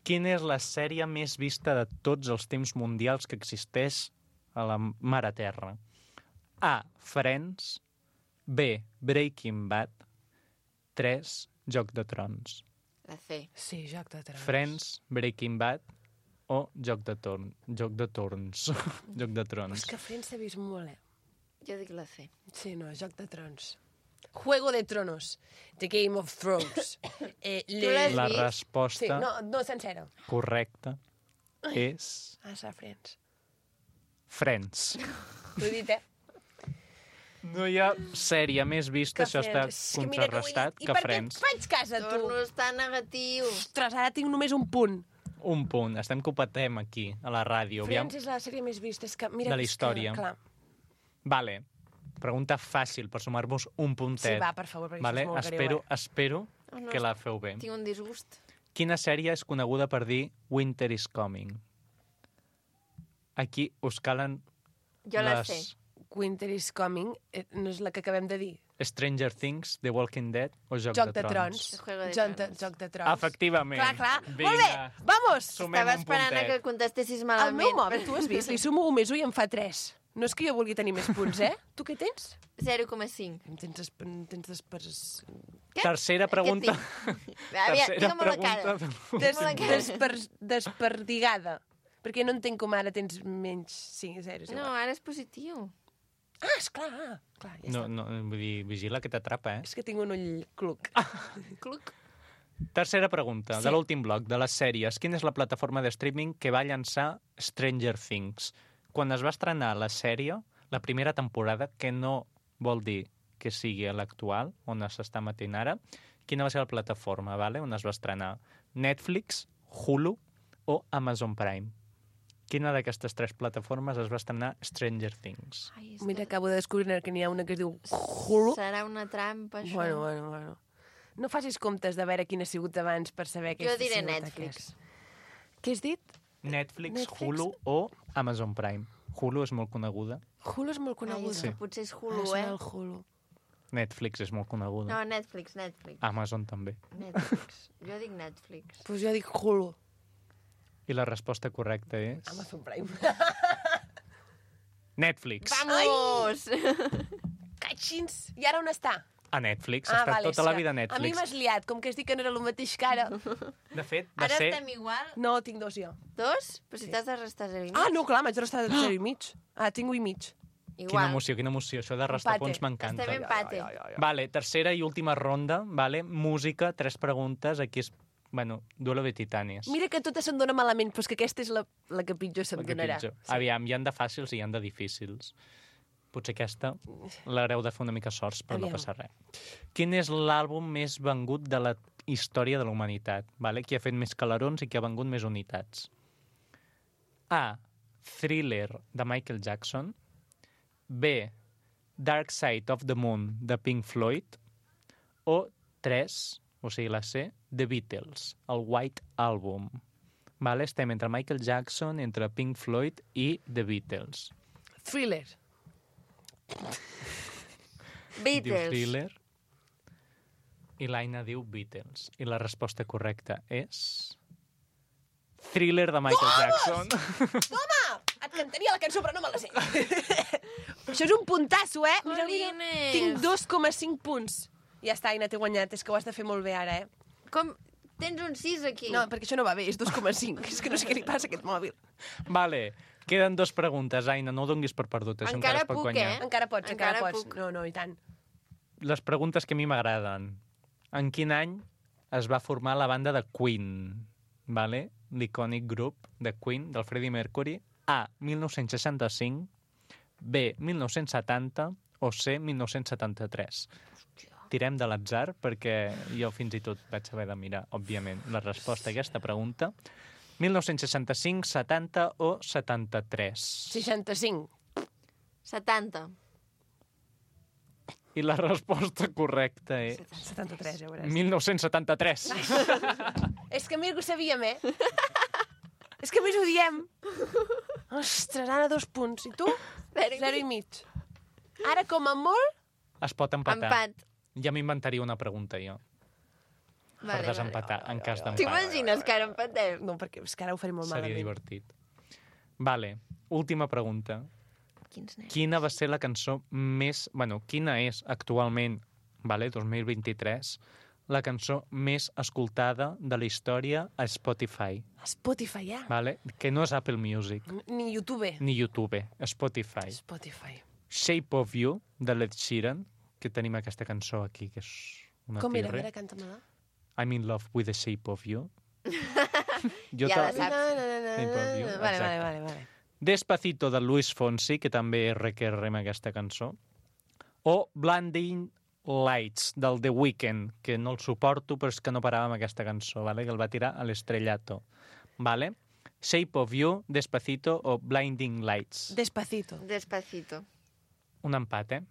Quina és la sèrie més vista de tots els temps mundials que existeix a la mare terra? A. Friends. B. Breaking Bad. tres. Joc de Trons. La C. Sí, Joc de Trons. Friends, Breaking Bad o Joc de Torn. Joc de Torns. Joc de És Trons. que Friends s'ha vist molt, eh? Jo dic la C. Sí, no, Joc de Trons. Juego de Tronos. The Game of Thrones. Eh, Tu l'has La vist? resposta Sí, no, no sencera. correcta és Ah, serà Friends. Friends. T'ho he dit, eh? No hi ha sèrie més vista, això està Friends. És que mira que ho he contrarrestat, dit. I que per què Friends. et faig cas a tu? Torno a estar negatiu. Ostres, ara tinc només un punt. Un punt. Estem que ho patem aquí, a la ràdio. Aviam. Friends és la sèrie més vista. És que, mira, De la és història. Que, clar. Vale. Pregunta fàcil per sumar-vos un puntet. Sí, va, per favor, perquè vale? això és molt espero, greu, eh? espero Oh, no, que la feu bé. Tinc un disgust. Quina sèrie és coneguda per dir Winter is Coming? Aquí us calen Jo la les sé. Winter is Coming eh, no és la que acabem de dir. Stranger Things, The Walking Dead o Joc, Joc de, de Trons. Trons. Juego de Joc de, Tronos. Joc de Trons. Efectivament. Clar, clar. Vinga. Molt bé, vamos! Sumem Estava un esperant a puntet. que contestessis El malament. meu mòbil, tu has vist? Li sumo un més un i em fa tres. No és que jo vulgui tenir més punts, eh? Tu què tens? zero coma cinc. Em tens, des... em tens despers... Què? Tercera pregunta. Aviam, Tercera digue'm la cara. pregunta. Des... Digue'm la cara. Desper... Desperdigada. Perquè no entenc com ara tens menys cinc, zero. No, ara és positiu. Ah, esclar, ah, clar, ja No, està. no, vull dir, vigila que t'atrapa, eh? És que tinc un ull cluc. Cluc. Tercera pregunta, Sí. de l'últim bloc, de les sèries. Quina és la plataforma de streaming que va llançar Stranger Things? Quan es va estrenar la sèrie, la primera temporada, que no vol dir que sigui l'actual, on s'està emetent ara, quina va ser la plataforma, vale? On es va estrenar? Netflix, Hulu o Amazon Prime? Quina d'aquestes tres plataformes es va estrenar Stranger Things? Ai, és Mira, que acabo de descobrir que n'hi ha una que es diu Hulu. serà una trampa, això. Bueno, bueno, bueno. No facis comptes de veure quin ha sigut abans per saber què Jo ha diré sigut Netflix. aquest. Què has dit? Netflix, Netflix? Hulu o Amazon Prime. Hulu és molt coneguda. Hulu és molt Ai, coneguda. és que potser és Ah, Hulu, serà eh? el Hulu. Netflix és molt coneguda. No, Netflix, Netflix. Amazon també. Netflix. Jo dic Netflix. Pues jo dic Hulu. I la resposta correcta és... Amazon Prime. Netflix. Vamos! Catxins! I ara on està? A Netflix. Ha estat tota la vida a A mi Netflix. m'has liat, com que has dit que no era el mateix que ara. De fet, va Ara ser... estem igual. No, tinc dos jo. Dos? Però si t'has de restar zero i mig. Ah, no, clar, m'haig de restar zero i mig. Ah, tinc un i mig. Quina Igual. emoció, quina emoció. Això de restar Empate. punts m'encanta. Estem empate. Vale, tercera i última ronda, vale? Música, tres preguntes. Aquí és, bueno, duelo de titanes. Mira que totes se'm dona malament, però és que aquesta és la, la que pitjor se'm El que donarà. pitjor. Aviam, hi han de fàcils i hi han de difícils. Potser aquesta l'haureu de fer una mica sorts, però Aviam. no passa res. Quin és l'àlbum més vengut de la història de la humanitat? Vale? Qui ha fet més calarons i qui ha vengut més unitats? A. Thriller, de Michael Jackson. B. Dark Side of the Moon, de Pink Floyd. O tres, o sigui, la C, The Beatles, el White Album. Vale? Estem entre Michael Jackson, entre Pink Floyd i The Beatles. Thriller. Diu Beatles. Thriller. I l'Aina diu Beatles. I la resposta correcta és... Thriller de Michael Jackson. Toma! Et cantaria la cançó, però no me la sé. Això és un puntasso, eh? Mira, mira. Jolines. Tinc dos coma cinc punts. Ja està, Aina, t'he guanyat. És que ho has de fer molt bé ara, eh? Com? Tens un sis aquí. No, perquè això no va bé, és dos coma cinc. És que no sé què li passa a aquest mòbil. Vale, queden dues preguntes, Aina, no ho donguis per perdut, això Encara encara es pot puc, guanyar. eh? Encara pots, encara, Encara pots. puc. No, no, i tant. Les preguntes que a mi m'agraden. En quin any es va formar la banda de Queen? Vale? L'icònic grup de Queen, del Freddie Mercury. A, mil nou-cents seixanta-cinc, B, mil nou-cents setanta o C, mil nou-cents setanta-tres. Tirem de l'atzar, perquè jo fins i tot vaig haver de mirar, òbviament, la resposta a aquesta pregunta. mil nou-cents seixanta-cinc, setanta o setanta-tres. seixanta-cinc. setanta. I la resposta correcta és... setanta-tres, ja veuràs. mil nou-cents setanta-tres. És que mira que ho sabíem, eh? És que a més ho diem. Ostres, Anna, dos punts. I tu? Zero i Zero i mig. Ara, com a molt... Es pot empatar. Empat. Ja m'inventaria una pregunta, jo, per Vale, desempatar, en cas d'empat. T'imagines que ara empatem? No, perquè és que ara ho faré molt Seria malament. divertit. Vale, última pregunta. Quins nervis. Quina va ser la cançó més... Bueno, quina és actualment, vale, dos mil vint-i-tres, la cançó més escoltada de la història a Spotify? Spotify, ja. Vale? Que no és Apple Music, Ni YouTube. ni YouTube, Spotify. Spotify. Shape of You, de Led Sheeran, que tenim aquesta cançó aquí, que és una Com era? tirre. Mira, canta-me-la. I'm in love with the shape of you. jo Ja la te- saps. Na, na, na, na, Shape of You, na. Vale, exacte. vale, vale, vale. Despacito, de Luis Fonsi, que també és requerrem aquesta cançó. O Blinding Lights, del The Weeknd, que no el suporto, però és que no parava amb aquesta cançó, vale? Que el va tirar a l'estrellato. Vale? Shape of You, Despacito o Blinding Lights. Despacito. Despacito. Un empat, eh?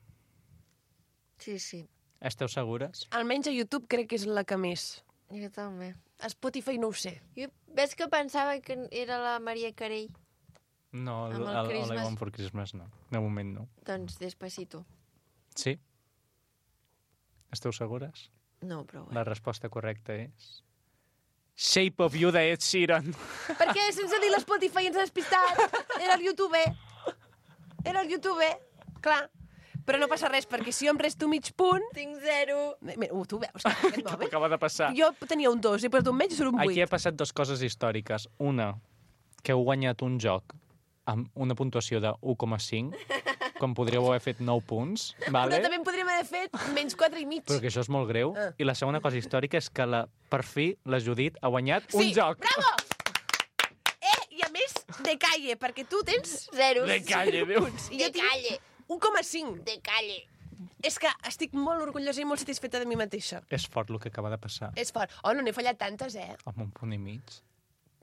Sí, sí. Esteu segures? Almenys a YouTube crec que és la que més. Jo també. A Spotify no ho sé. Jo, ves que pensava que era la Maria Carey? No, Amb el el, el, el Christmas. I Want for Christmas no. De moment no. Doncs Despacito. Sí? Esteu segures? No, però bé. La resposta correcta és... Shape of You, de Ed Sheeran. Per què? Sense dir l'Spotify ens ha despistat. Era el YouTube. Era el YouTube. Clar. Però no passa res, perquè si jo em resto mig punt... Tinc zero. Mira, uh, tu veus que aquest mòbil... Acaba de passar. Jo tenia un dos, he posat un menys i surt un vuit. Aquí ha passat dues coses històriques. Una, que heu guanyat un joc amb una puntuació de u coma cinc, com podríeu haver fet nou punts, vale? Però també en podríem haver fet menys quatre i mig. Però que això és molt greu. Ah. I la segona cosa històrica és que la, per fi la Judit ha guanyat un Sí, joc. bravo! Eh, i a més, de calle, perquè tu tens... Zero. De calle, Déu. I De jo tinc calle. un coma cinc. De calle. És que estic molt orgullosa i molt satisfeta de mi mateixa. És fort el que acaba de passar. És fort. Oh, no n'he fallat tantes, eh? Amb un punt i mig.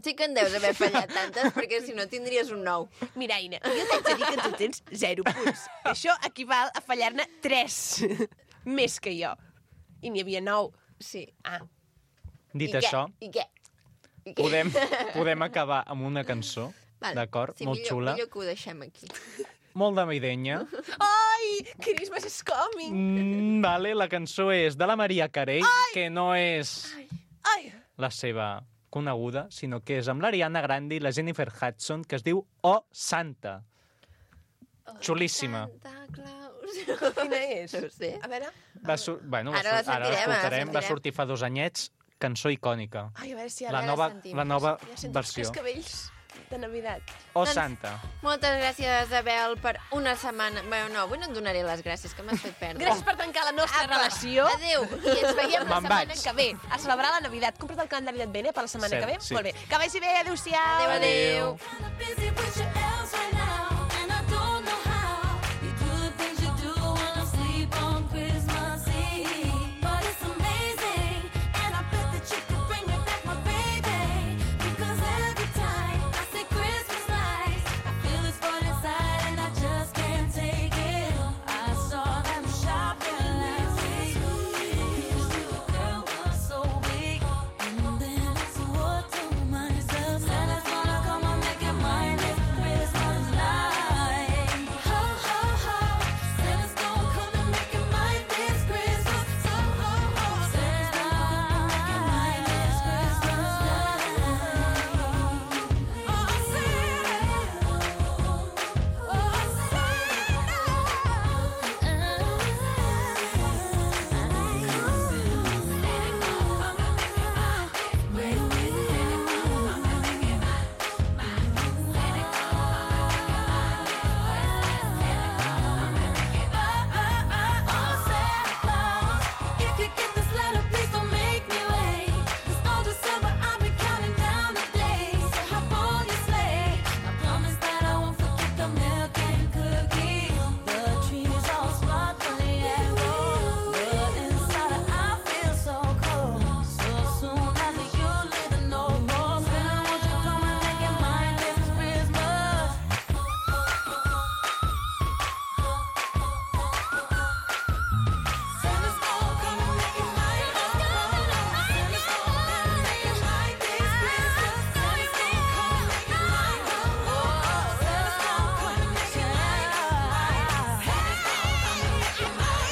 Sí que en deus haver fallat tantes, perquè si no tindries un nou. Mira, Aina, jo t'haig de dir que tu tens zero punts. Això equival a fallar-ne tres. Més que jo. I n'hi havia nou. Sí. Ah. Dit I això, què? I què? I què? podem, podem acabar amb una cançó, Vale. d'acord? Sí, Molt millor, xula, millor que ho deixem aquí. molt navideña. Ai, Christmas is coming! Mm, vale, la cançó és de la Maria Carey, que no és Ai! la seva coneguda, sinó que és amb l'Ariana Grande i la Jennifer Hudson, que es diu Oh Santa. Xulíssima. Santa Claus. Quina és? No ho sé. A veure... Va sur... bueno, va Ara la sur... ara sentirem, ara la l'escoltarem. Va sentirem. sortir fa dos anyets, cançó icònica. Ai, a veure si ara La la nova, sentim. la nova ja sento els versió. cascavells de Navidad. Oh Doncs- Santa. Moltes gràcies, Abel, per una setmana... Bé, no, avui no et donaré les gràcies, que m'has fet perdre. Gràcies per tancar la nostra Apa, relació. Adéu. I ens veiem la Me'n setmana vaig. que ve. A celebrar la Navidad. Compra't el calendari d'Advent, eh, per la setmana Cert, que ve? sí. Molt bé. Que vagi bé. Adéu-siau. Adéu, adéu. Busy with your elves right now, and I don't know how. You do the things you do when I sleep on Christmas Eve. But it's amazing, and I bet that you could bring me back my baby. Because every time I say Christmas lights, I feel this void inside and I just can't take it. I saw them shopping last week. The girl was so weak, and then I swore to myself, Santa's gonna come and make it mine this Christmas night. Ho, ho, ho, Santa's gonna come and make it mine this Christmas. So, ho, ho, Santa's gonna make it mine this Christmas night. Oh, if you get this letter, please don't make me wait. 'Cause all December I've been counting down the days. So hop on your sleigh. I promise that I won't forget the milk and cookies. The trees all sparkling yellow, but inside I feel so cold. So soon after you leave the note, more Santa, won't you come and make it mine this Christmas? Santa's gonna come and make it mine. Santa's gonna come and make it mine this Christmas. Santa's gonna come and make it mine. Oh, Santa's gonna come and make it mine. Santa's gonna come and make it mine.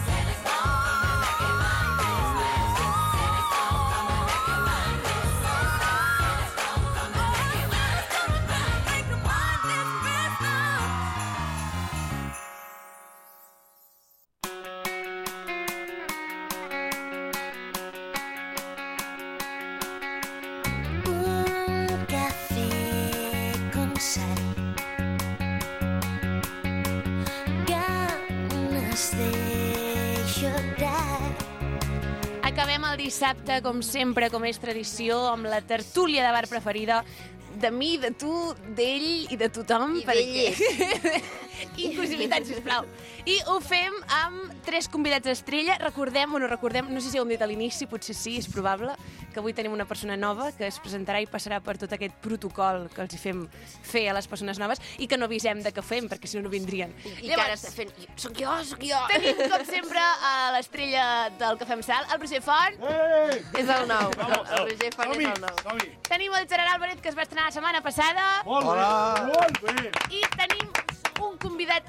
Santa's gonna come and make it mine this Christmas. Santa's gonna come and make it mine this Santa's gonna come and make it mine. Santa's gonna come and make it mine this Christmas. Un café con sal. Ganas de llorar. Acabem el dissabte, com sempre, com és tradició, amb la tertúlia de bar preferida de mi, de tu, d'ell i de tothom. I d'elles. Inclusivitat, sisplau. I ho fem amb tres convidats estrella. Recordem o no recordem, no sé si ho hem dit a l'inici, potser sí, és probable, que avui tenim una persona nova que es presentarà i passarà per tot aquest protocol que els hi fem fer a les persones noves i que no avisem de què fem, perquè si no, no vindrien. I que ara està fent... Soc jo, soc jo. Tenim, com sempre, a l'estrella del Cafè amb Sal, el Roger Font. És el nou. El, el Roger Font és el nou. Tenim el Gerard Álvarez, que es va estrenar la setmana passada. Hola! Molt bé! I tenim un convidat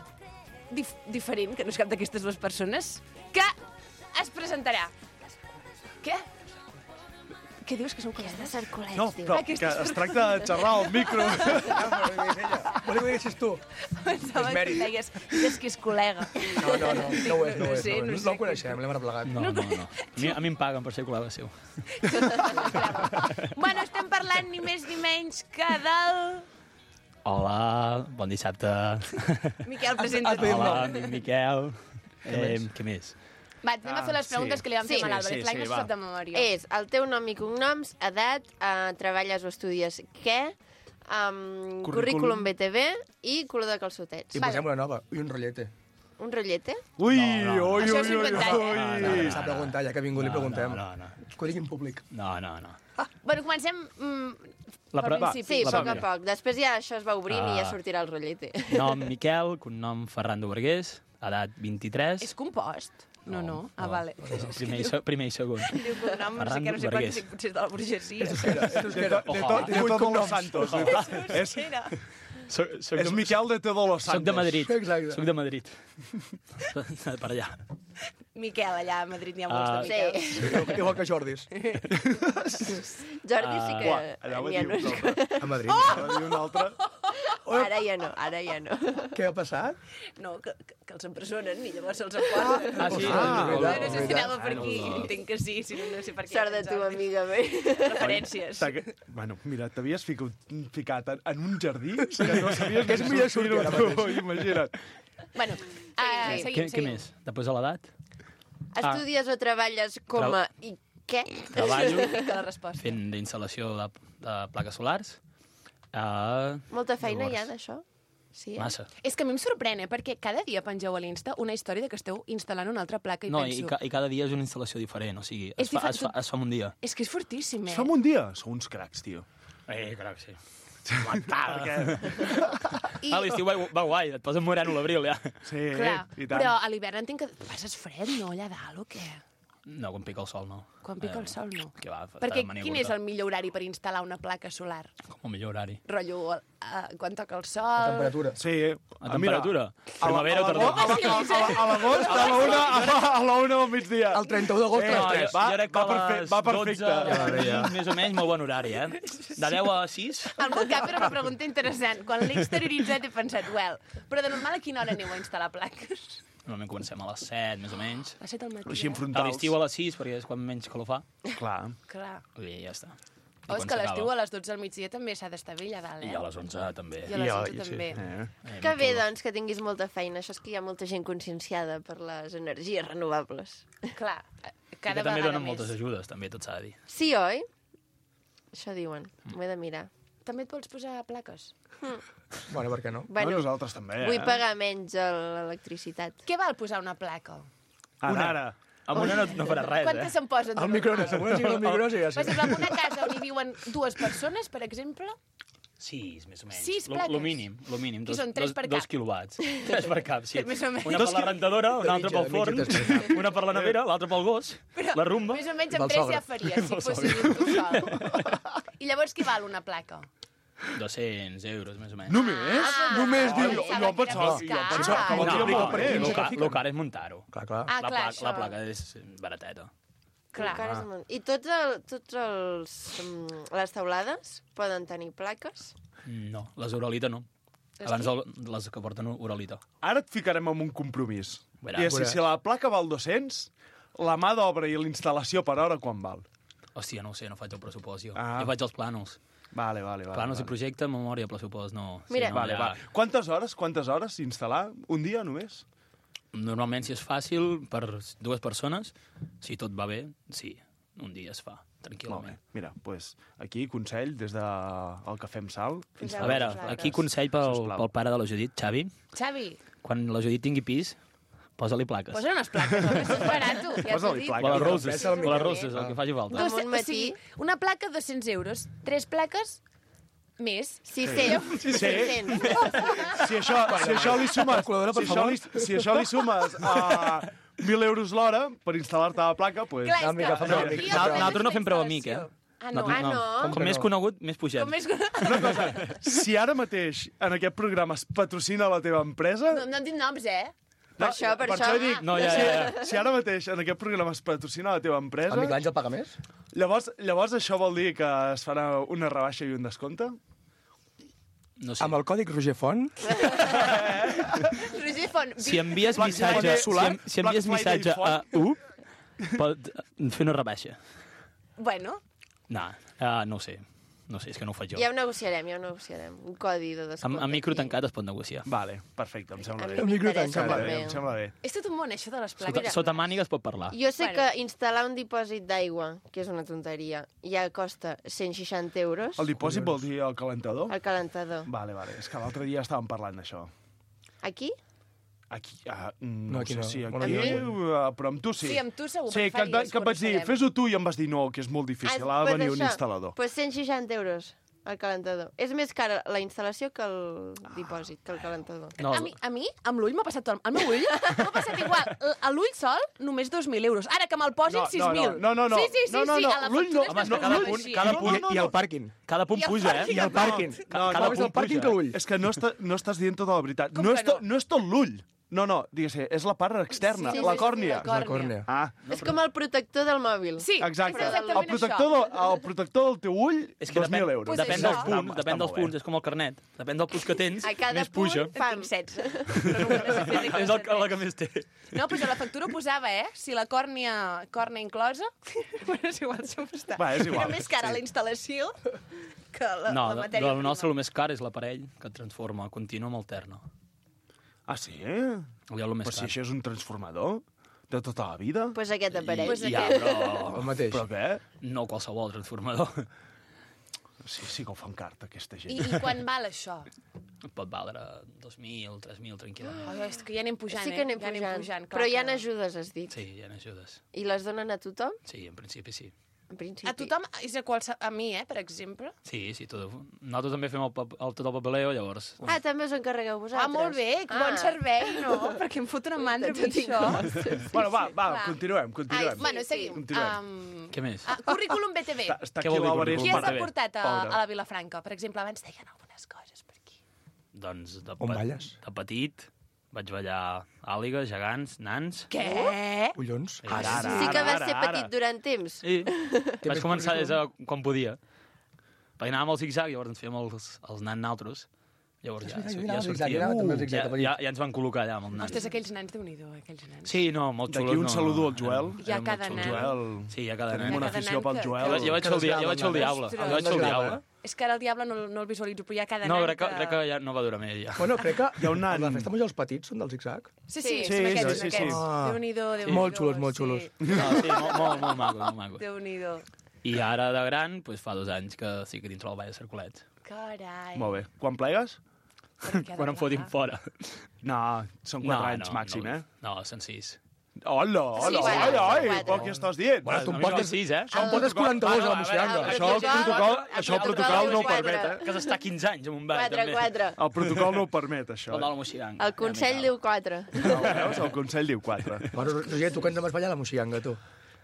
dif diferent, que no és cap d'aquestes dues persones, que es presentarà. Què? Què dius, que són col·legues? Cercolets, No, diu. però que es tracta de xerrar al micro. Volia que ho diguessis tu. Pensava que mèrit. deies, és que és col·lega. No, no, no, no ho és, no ho és. sé, No, no no, sé. no el coneixem, l'hem arreplegat. No, no, no. A mi, a mi em paguen per ser col·lega seu. Bueno, estem parlant ni més ni menys que del... Hola, bon dissabte. Miquel, presenta't. Hola, em dic Miquel. Eh, què més? Va, anem a fer les preguntes sí. que li vam fer Sí, a l'Àlvarez. sí, L'any sí, no se va. sap de memòria. És el teu nom i cognoms, edat, eh, treballes o estudies què, um, currículum B T V i color de calçotets. I posem una nova. I un rotllete. Un rotllete? Ui, No, no. ui, Això ui, és ui, inventat, eh? ui. No, no, no, S'ha preguntat, ja que ha vingut, li No, preguntem. no, no. Que ho digui en públic. No, no, no. Bueno, comencem mm, La per pre- va, principi. Sí, a La poc a primera. poc. Després ja això es va obrint i ja Ah. sortirà el rotllete. Nom Miquel, cognom Ferran Vergués, Edat vint-i-tres. És compost? No, no. Ah, vale. Primer i, se, primer i segon. Diu cognom, no sé què, no sé quant, potser és de la burgesia. De todos los santos. És, soc, soc és Miquel de todos los santos. Soc de Madrid. Exacte. Soc de Madrid. Per allà. Miquel, allà a Madrid n'hi ha molts de Uh, Miquels. sí. Igual que Jordis. Jordi sí que... Uah, allà va n'hi ha dir un uns altre. A Madrid. Oh! Va dir un altre. Ara ja no, ara ja no. Què ha passat? No, que, que, que els empresonen i llavors se'ls emporten. Ah, sí? Ah, No, hola, no sé si anava per Ah, aquí, no. entenc que sí, si no, no sé per què. Sort de tu, amiga bé. Referències. T'ha- Bueno, mira, t'havies ficat, ficat en, en un jardí que no sabies Que és ni millor sortir-ho sortir ara tu, imagina't. Bueno, uh, sí. seguim, Què, què seguim. més? Després de l'edat? Estudies o treballes com a... I què? Treballo Que la resposta. fent d'instal·lació de, de plaques solars. Uh, Molta feina hi ha Llavors. d'això? Sí, eh? massa. És que a mi em sorprèn, eh? Perquè cada dia pengeu a l'Insta una història de que esteu instal·lant una altra placa i No, i, penso... ca, i cada dia és una instal·lació diferent, o sigui, És es fa, difer- es, fa, es fa en un dia. És que és fortíssim, eh? Es fa en un dia? Sou uns cracs, tio. Eh, crac, sí. Perquè... I... A l'estiu va, va guai, et poses moreno a l'abril, ja. Sí, Clar, i tant. però a l'hivern entenc que passes fred, no, allà dalt, o què? No, quan pica el sol, no. Quan pica el sol, no. Que va, està Perquè de mania quin curta. és el millor horari per instal·lar una placa solar? Com el millor horari. Rotllo, uh, quan toca el sol... La temperatura. Sí. A temperatura? A Primavera o la- tardor? a la- a la- a l'agost, a la una, a la- a la una del migdia. El trenta-u d'agost Eh, a les No, tres. jo, va- jo crec que va a perfe- les va dotze, perfecte. ja, més o menys, molt bon horari, eh? De deu a sis, Al meu cap era una pregunta interessant. Quan l'he exterioritzat he pensat, well, però de normal a quina hora aneu a instal·lar plaques? normalment comencem a les set, més o menys. A set al matí, Així en eh? A frontals. l'estiu a les sis, perquè és quan menys calor fa. Clar. Clar. I ja està. I Oh, és quan que a s'acaba? l'estiu a les dotze al migdia també s'ha d'estar bé allà dalt, eh? I a les onze també. I a les I a- onze i sí. també. Eh. Eh, Que molt bé, calor. doncs, que tinguis molta feina. Això és que hi ha molta gent conscienciada per les energies renovables. Clar, eh, I cada que també vegada donen més. moltes ajudes, també, tot s'ha de dir. Sí, oi? Això diuen. M'ho he de mirar. També et vols posar plaques? Bueno, per què no? Bueno, Bueno, nosaltres també, eh? vull pagar menys a l'electricitat. Què val posar una placa? Ara, ara. Amb una no, no farà res, Quantes eh? se'n posen? de El microones, normal? amb una sigla del microones i ja Per sí. exemple, en una casa on hi viuen dues persones, per exemple, Sis, més o menys. Sis Lo- plaques? Lo mínim, lo mínim. Qui Dos, són, tres dos, per dos cap? quilowatts. Tres per cap, sí. Més o menys. Una Dos per la qui- rentadora, una altra pel mitja, forn, de mitja, tres per una per la nevera, l'altra pel gos, la rumba. més o menys Del amb tres sogre. ja faries, si Del fossis tu sol. I llavors què val una placa? dos-cents euros, més o menys. Només? Ah, Només, jo diu. pensava Jo que era pensava, més jo car. pensava que No, valia no, molt més. lo car, lo car és muntar-ho. Clar, clar. Ah, La, clar, placa, això. la placa és barateta. Clar. Encara és molt- I tots, el, tots els, mm, les taulades poden tenir plaques? No, les Uralita no. Abans el, les que porten Uralita. Ara et ficarem en un compromís. Veuràs. I és, si, si la placa val dos-cents, la mà d'obra i l'instal·lació per hora quan val? Hòstia, no ho sé, no faig el pressupost, jo. Ah. Jo faig els planos. Vale, vale, vale. Planos vale. i projecte, memòria, pressupost, no. Mira. no, Vale, ja- va. Quantes hores, quantes hores instal·lar? Un dia només? Normalment, si és fàcil, per dues persones, si tot va bé, sí, un dia es fa, Molt bé. tranquil·lament. Mira, doncs aquí consell des del de el Cafè amb Sal. Poseu A veure, les plaques. aquí consell pel, Sisplau. pel pare de la Judit, Xavi. Xavi, Quan la Judit tingui pis, posa-li plaques. posa unes plaques, home, això és barat, tu, ja t'ho Posa-li dic. plaques. O les Mira, roses, pesa el o les micro. roses, el que faci falta. Amb Dos, un o matí. sigui, una placa, dos-cents euros. Tres plaques, més. sis-cents. Sí. sis-cents. Si això, si això li sumes, Calculadora, per si això favor. li, si això li sumes a mil euros l'hora per instal·lar-te la placa, doncs... Clar, és Ah, mica, que... fa aquí mal. el Nosaltres tema és nosaltres no la fem preu amic, eh? instal·lació. Ah, no? Ah, no? Com que més no? conegut, més pugem. Com més... Una cosa, si ara mateix en aquest programa es patrocina la teva empresa... No, no hem dit noms, eh? Per això, per això. dic, No, ja, si, ja, ja. si ara mateix en aquest programa es patrocina la teva empresa, El Miquel Àngel paga més? llavors, llavors això vol dir que es farà una rebaixa i un descompte? No sé. Amb el còdic Roger Font, Roger Font, Si envies Black missatge, Friday si, solar, en- si envies Black Friday missatge a font. U, pot fer una rebaixa. bueno, No, uh, no ho sé. No sé, és que no ho faig jo. Ja ho negociarem, ja ho negociarem. Un codi de descompte. Amb, amb micro aquí. tancat es pot negociar. Vale, perfecte, em sembla A bé. mi micro m'interessa tancat. Em sembla bé, també. em sembla bé. és tot un món, això de les Sota, plaques. sota màniga es pot parlar. Jo sé Bueno. que instal·lar un dipòsit d'aigua, que és una tonteria, ja costa cent seixanta euros El dipòsit vol dir el calentador? al calentador. Vale, vale. És que l'altre dia estàvem parlant d'això. Aquí? Aquí, ah, no, No, aquí sé no. si aquí, Bueno, aquí uh, però amb tu sí. Sí, amb tu segur, Sí, perquè que, et va- faries, que et vaig dir, coneixerem. fes-ho tu i em vas dir no, que és molt difícil, ha de pues venir un això. instal·lador. Pues cent seixanta euros El calentador. És més cara la instal·lació que el dipòsit, que el calentador. No. A, mi, a mi, amb l'ull m'ha passat tot. El meu ull m'ha passat igual. L- A l'ull sol, només dos mil euros. Ara que me'l posin, sis mil. No, no, no. Sí, sí, sí, no, no, sí. no. A la L'ull no. factura no, es no, posava l'ull- així. Cada no, punt, no, no. I el pàrquing. Cada punt I el puja, eh? I el pàrquing. No, Cada no, més el pàrquing que l'ull. És que no, està, no estàs dient tota la veritat. Com No que és, to, no? no és tot l'ull. No, no, digues, és la part externa, Sí, sí, la sí, còrnia. la La còrnia. Ah, És com el protector del mòbil. Sí, exacte. és El exactament protector, això. del, el protector del teu ull, És que dos depèn, mil euros. Pues depèn això. dels punts, Està depèn dels molt bé. punts, és com el carnet. Depèn del punts que tens, A cada més puja. punt, pam. Tinc setze. Però no ho sé fer És el, que- la que més té. No, doncs a la factura ho posava, eh? Si la còrnia, còrnia inclosa... bueno, és igual, això està. Va, és igual, Era més cara sí. la instal·lació que la, No, la de, matèria de la nostra prima. el més car és l'aparell que transforma continu amb alterno. Ah, sí? Allò el més Però si car. això és un transformador de tota la vida. Doncs pues aquest aparell. Pues I, ja, aquest. però... El mateix. Però què? No qualsevol transformador. Sí, sí que ho fan carta, aquesta gent. I, I quan val això? Pot valdre dos mil, tres mil, tranquil·lament. Oh, és que ja anem pujant, Sí eh? que anem ja pujant. pujant. Però hi ha que- ajudes, has dit. Sí, hi ha ajudes. I les donen a tothom? Sí, en principi sí. En principi. A tothom, és a, qualse... a mi, eh, per exemple. Sí, sí, tot. Nosaltres també fem el, pap- el, tot el papeleo, llavors... Ah, també us encarregueu vosaltres. Ah, molt bé, que bon servei, no? Perquè em fot una mandra amb això. Bueno, va, va, Clar. continuem, Ai, continuem. bueno, seguim. Continuem. Um, Què més? ah, currículum B T V. Està, està Què aquí vol dir l'Àlvarez. Qui currículum has B T V? portat a, Pobre. a la Vilafranca? Per exemple, abans deien algunes coses per aquí. Doncs de, On balles? de petit vaig ballar àliga, gegants, nans... Què? Collons. Ara, ara, Sí que ara, vas ser ara, petit durant temps. Sí, vaig més començar des de currículum? quan podia. Perquè anàvem al zig-zag, llavors ens fèiem els, els nans naltros. Llavors ja, veritat, jo ja, anava al zig-zag, sortia. jo anava també al Ja, zig-zag de petit. ja, ja ens van col·locar allà amb els nans. Ostres, aquells nans, Déu-n'hi-do, aquells nans. Sí, no, molt xulos. D'aquí un no, saludo al Joel. Hi ha eren molt cada xulos. nen. Joel, Sí, hi ha cada tenim nen. una cada afició nen pel que- Joel. Jo, vaig- jo vaig fer el, dia, jo vaig fer el diable. Ostres. Jo vaig fer el diable. És que ara el diable no, no el visualitzo, però hi ha cada No, nen crec que, crec que ja no va durar més, ja. Bueno, crec que Hi ha un nan. la festa major els petits són del zig-zag. Sí, sí, Sí, són aquests, sí, són sí, aquests. sí. Déu-n'hi-do, Déu-n'hi-do. Molt xulos, molt sí. xulos. No, sí, molt, molt, molt maco, molt maco. Déu-n'hi-do. I ara, de gran, doncs fa dos anys que sí que dintre el ball de Cercolet. Carai. Molt bé. Quan plegues? Però què ha de Quan em fotin plegar? fora. No, són quatre anys màxim, no, eh? No, són sis. Hola, hola, Sí, ai, ai, quatre. però què estàs dient? Bueno, tu a em mi no portes... sis, eh? Això em portes quaranta-dos a la moixiganga. Això el protocol, això el protocol no ho permet, eh? Que s'està quinze anys amb un ball, Quatre, també. quatre. El protocol no ho permet, això. El de la moixiganga. El Consell diu quatre. No, veus? El Consell diu quatre. Bueno, Roger, tu que ens vas ballar a la moixiganga, tu.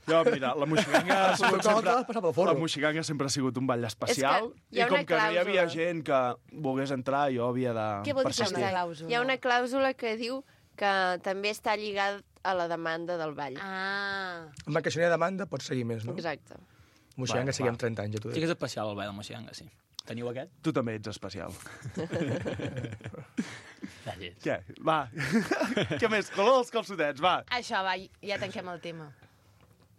Jo, mira, la moixiganga ha sigut protocol sempre... te l'has passat pel forro. La moixiganga sempre ha sigut un ball especial. És que hi ha I com una que no hi havia clàusula. gent que volgués entrar, jo havia de Què vol dir que hi ha persistir. una clàusula? Hi ha una clàusula que diu que també està lligada a la demanda del ball. Ah. Amb que si no hi ha demanda, pots seguir més, no? Exacte. Moixiganga Va, seguim va. trenta anys, ja t'ho Sí dic. que és especial el ball de moixiganga, sí. Teniu aquest? Tu també ets especial. Gràcies. Què? Va. Què més? Color dels calçotets, va. Això, va, ja tanquem el tema.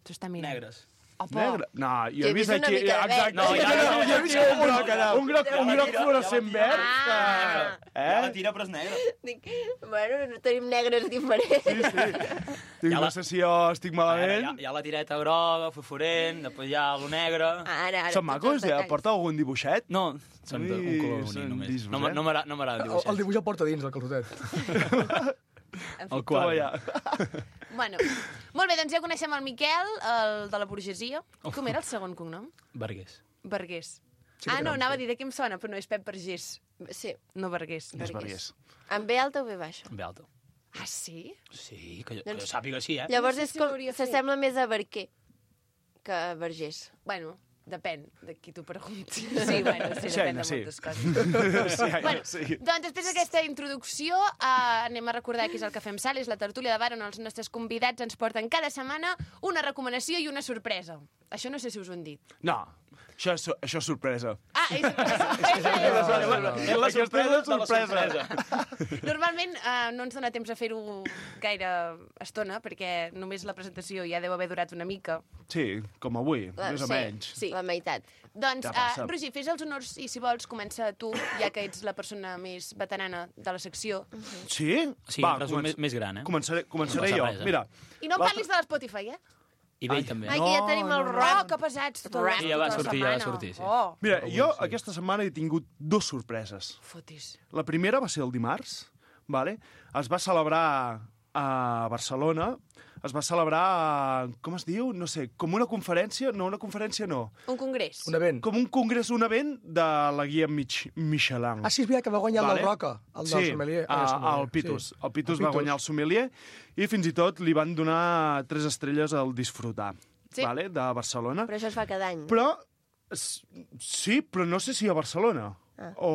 Tu està mirant. Negres. Opa. Negre? No, jo Jo he he vist vist una aquí... mica de verd. Exacte. No, ja, jo, no, jo he vist un groc allà. Un groc, un groc fluorescent verd. Ah. que- Eh? tira, però és negra. Dic, bueno, no tenim negres diferents. Sí, sí. Dic, Ja no la- sé si jo estic Ara, hi, malament. ha, hi ha la tireta groga, fosforent, després hi ha lo negre... Ara, ara. Són macos? Ja porta algun dibuixet? No, són de, un Ui, color són únic només. disbos, No, m- eh? no m'agrada no m'agrada El, dibuixar. el dibuix el porta dins, el calçotet. El quadre. Bueno, molt bé, doncs ja coneixem el Miquel, el de la burgesia. Com era el segon cognom? Vergués. Vergués. Sí, ah, que no, no, anava a dir de què em sona, però no, és Pep Vergés. Sí, No Vergués. És vergués. amb B alta o B baixa? Amb alta. Ah, sí? Sí, que, jo- que Doncs- jo sàpiga sí, eh? Llavors sé és si com... l'hauria fet. S'assembla més a Barquer que a Vergés. Bueno, depèn de qui t'ho pregunti. Sí, bueno, sí, Sí, depèn de sí. moltes coses. Sí, Bueno, sí. doncs després d'aquesta introducció eh, anem a recordar què és el que fem sal, és la tertúlia de bar on els nostres convidats ens porten cada setmana una recomanació i una sorpresa. Això no sé si us ho han dit. No, això és, això és sorpresa. Ah, és una sorpresa. És la sorpresa és sorpresa. Normalment eh, no ens dona temps a fer-ho gaire estona, perquè només la presentació ja deu haver durat una mica. Sí, com avui, La- més o sí, menys. Sí, la meitat. Doncs, Ja uh, passa. Roger, fes els honors i, si vols, comença tu, ja que ets la persona més veterana de la secció. Sí? Sí, Va, resum comença- més, més gran, eh? Començaré, començaré No jo. passa res, eh? Mira, I no l'altre- parlis de l'Spotify, eh? I vell també. Ai, que ja tenim el Oh, rock. que pesats. Tot Rap. Sí, ja va tota la sortir, ja va setmana. sortir, sí. Oh, Mira, jo aquesta setmana he tingut dues sorpreses. fotis. La primera va ser el dimarts, vale? Es va celebrar a Barcelona es va celebrar, com es diu? No sé, com una conferència? No, una conferència no. Un congrés. Un event. Com un congrés, un event de la guia Mich Michelin. Ah, sí, és veritat que va guanyar el del Roca, el del sí, sommelier. Ah, el sommelier. el Pitus. Sí. El Pitus El va Pitus. guanyar el sommelier i fins i tot li van donar tres estrelles al disfrutar, Sí. vale? De Barcelona. Però això es fa cada any. Però, s- sí, però no sé si a Barcelona. Ah. O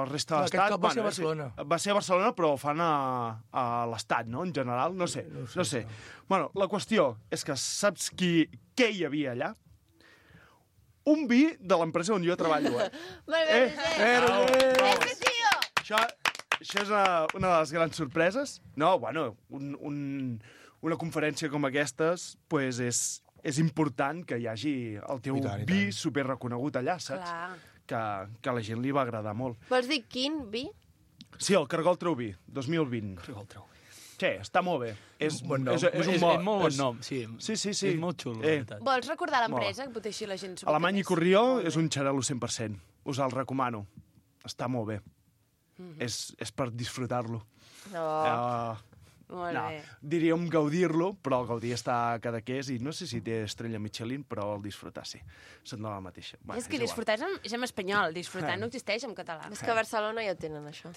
a resta No, de aquest l'estat. cop va ser a és que Barcelona. Va ser a Barcelona, però ho fan a, a l'estat, no? En general, no sé. No sé. No sé. Bueno, la qüestió és que saps qui, què hi havia allà? Un vi de l'empresa on jo treballo, eh? Molt bé, Eh, Roger. Ese tío! Això, això és una, una de les grans sorpreses. No, bueno, un, un, una conferència com aquestes pues és, és important que hi hagi el teu I tant, i vi tant. superreconegut allà, saps? Clar. Que, que a la gent li va agradar molt. Vols dir quin vi? Sí, el Cargol Treuvi, dos mil vint. Cargol Treuvi. Sí, està molt bé. És, Bon nom. és, és, un És- mo- és molt bon és- nom, sí. Sí, sí, sí. És molt xulo, la Eh, veritat. Vols recordar l'empresa? Que potser així la gent s'ho ubica Alemany i més. Corrió és un xarel·lo cent per cent. Us el recomano. Està molt bé. Mhm. és, és per disfrutar-lo. No. Uh, Molt no, bé. diríem gaudir-lo, però el gaudir està a Cadaqués i no sé si té estrella Michelin, però el disfrutar sí. Són de la mateixa. Bueno, És que igual. disfrutar és en, és en espanyol, disfrutar Eh. no existeix en català. És que a Barcelona ja ho tenen, això.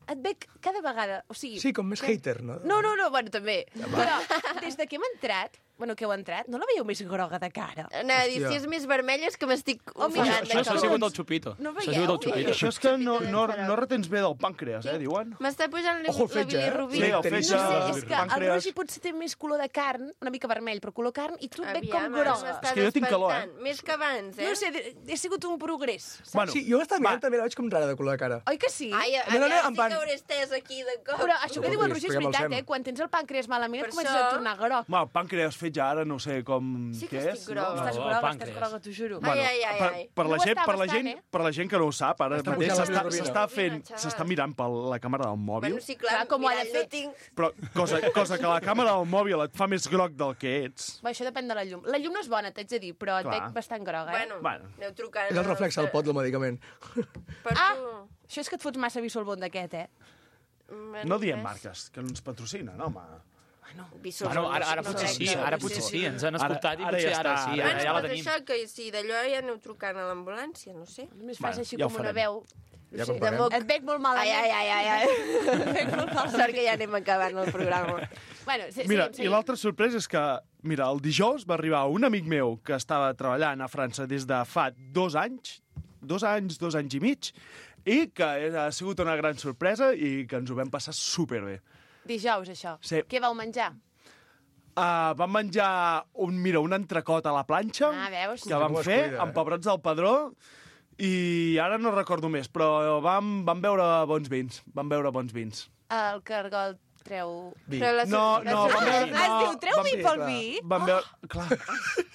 Et veig cada vegada... O sigui, Sí, com més que- hater, no? No, no, no, bueno, també. Però des de que hem entrat, bueno, que heu entrat, no la veieu més groga de cara? Anava a dir, Hòstia. si és més vermella és que m'estic Oh, mira, ofegant això- de Això ha calor. sigut el xupito. No Això ha veieu? sigut el xupito. Això és que no, no, no retens bé del pàncreas, eh, diuen. M'està pujant la, Ojo el la fetge, eh? bilirrubina. Sí, el No fetge, sé, és el que el pàncreas. Rogi potser té més color de carn, una mica vermell, però color carn, i tu et veig com Aviam, ara groga. m'estàs És que jo tinc calor, eh? espantant. Més que abans, eh? No sé, he sigut un progrés. Saps? Bueno, Sí, jo estava mirant, va. també la veig com rara de color de cara. Oi que sí? Ai, No, no, no, allà en sí plan- que hauré estès aquí de cop. Però això que diu el Roger és Expliquem el veritat, Sem. eh? Quan tens el pàncreas malament Per et comences això- a tornar groc. Home, el pàncreas fet ja ara no sé com Sí que què estic és. groga. Estàs el groga, estàs pàncreas. groga, t'ho juro. Ai, ai, ai, per, ai. per, la No ho gent, està per, la bastant, gent, eh? per la gent que no ho sap, ara Està mateix pujant la s'està bilirubina. s'està fent, Xaval. s'està mirant per la càmera del mòbil, Bueno, sí, clar, Clar, com ho ha de mirall no fer. tinc. però cosa, cosa que la càmera del mòbil et fa més groc del que ets. Va, això depèn de la llum. La llum no és bona, t'haig de dir, però et Clar. veig bastant groga, eh? Bueno, Bueno. aneu trucant. És el reflex del pot del medicament. Per Ah! tu. Això és que et fots massa vi sol bon d'aquest, eh? Bueno, No diem res. marques, que no ens patrocinen, home. Visors, Bueno, ara, ara no potser crec sí, que- ara potser sí, ens han Ara- escoltat i ara potser ja ara està, sí, ara ara Bueno, ja la doncs tenim. això, que si d'allò ja aneu trucant a l'ambulància, no sé. Només Bueno, fas així ja ho com una farem. veu. Ja Sí, quan paguem. de moc. Et veig molt Ai, malament. ai, ai, ai, ai. Et veig molt malament. Sort que ja anem acabant el programa. Bueno, sí, Mira, sí, sí. i l'altra sorpresa és que, mira, el dijous va arribar un amic meu que estava treballant a França des de fa dos anys, dos anys, dos anys i mig, i que ha sigut una gran sorpresa i que ens ho vam passar superbé. Dijous, això. Sí. Què vau menjar? Uh, vam menjar un, mira, un entrecot a la planxa Ah, veus? que vam Com es fer cuida, eh? amb pebrots del Padró i ara no recordo més, però vam, vam veure bons vins. Vam veure bons vins. El cargol treu... Vi. Però la No, sor- la no, sor- vam veure... Ah, No, es diu, treu vam, vi sí, pel clar. vi? vam veure... Clar,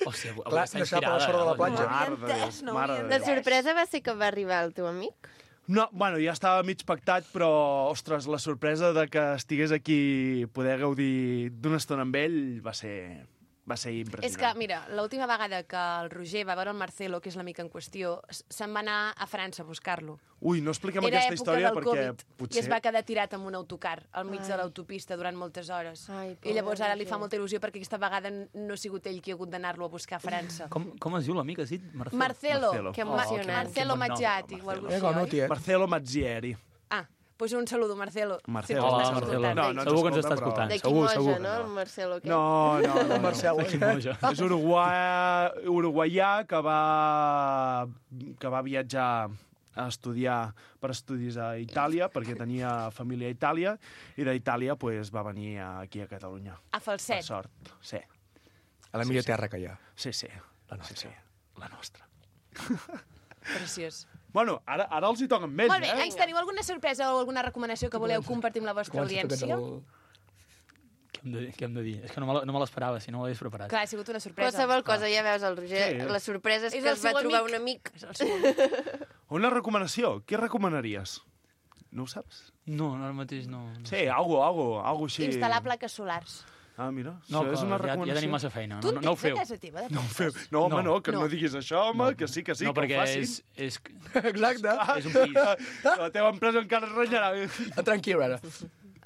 Hòstia, avui Clar, està no sap a la inspirada. sorra de la eh? platja. mare de Déu, entès, no mare havia de La Déu. sorpresa va ser que va arribar el teu amic? No, bueno, ja estava mig pactat, però, ostres, la sorpresa de que estigués aquí, poder gaudir d'una estona amb ell, va ser, va ser impressionant. És que, mira, l'última vegada que el Roger va veure el Marcelo, que és l'amic en qüestió, s- se'n va anar a França a buscar-lo. Ui, no expliquem Era aquesta època història del perquè Covid potser... i es va quedar tirat amb un autocar al mig Ai. de l'autopista durant moltes hores. Ai, I llavors ara li pobre fa molta il·lusió perquè aquesta vegada n- no ha sigut ell qui ha hagut d'anar-lo a buscar a França. Com, com es diu l'amic, has dit? Marcelo? Marcelo. Marcelo. Que Ma- emocionant. Marcelo Quin bon nom, Maggiati o Marcelo. alguna Mira cosa com no, així, tia. Marcelo Mazzieri. Ah, doncs un saludo, Marcelo. Marcelo. Si ens Hola, estàs Marcelo. escoltant. No, no ens Segur que ens escolta, està però- escoltant. De Segur, Quimoja, segur. no? El Marcelo aquest. No, no, no. El Marcel, no. eh? Quimoja. És uruguaià, uruguaià que va, que va viatjar a estudiar per estudis a Itàlia, perquè tenia família a Itàlia, i d'Itàlia pues, va venir aquí a Catalunya. A Per falset. sort, sí. A la millor terra que hi ha. Sí, sí. La nostra. Sí, sí. La nostra. Preciós. Bueno, ara, ara els hi toquen més, Molt bé, eh? ens teniu alguna sorpresa o alguna recomanació que voleu compartir amb la vostra Comença tu, que ets audiència? el- Què hem de, què hem de dir? És que no me la- no me l'esperava, si no ho hagués preparat. Clar, ha sigut una sorpresa. Qualsevol cosa, ja veus el Roger. Sí. La sorpresa és, És que el es va seu trobar amic. un amic. És el seu amic. Una recomanació. Què recomanaries? No ho saps? No, ara mateix no. no. Sí, algo, algo, algo així. Instal·lar plaques solars. Ah, mira, No, això és que una ja, recomanació. ja tenim massa feina. Tu No, en no, no ho tens a feu. casa teva, de No, ho plaques? feu. no, home, no, No. que no, No. diguis això, home, que sí, que sí, no, que ho perquè facin. és, és, Exacte. és un pis. La teva empresa encara es renyarà. Ah, tranquil, ara.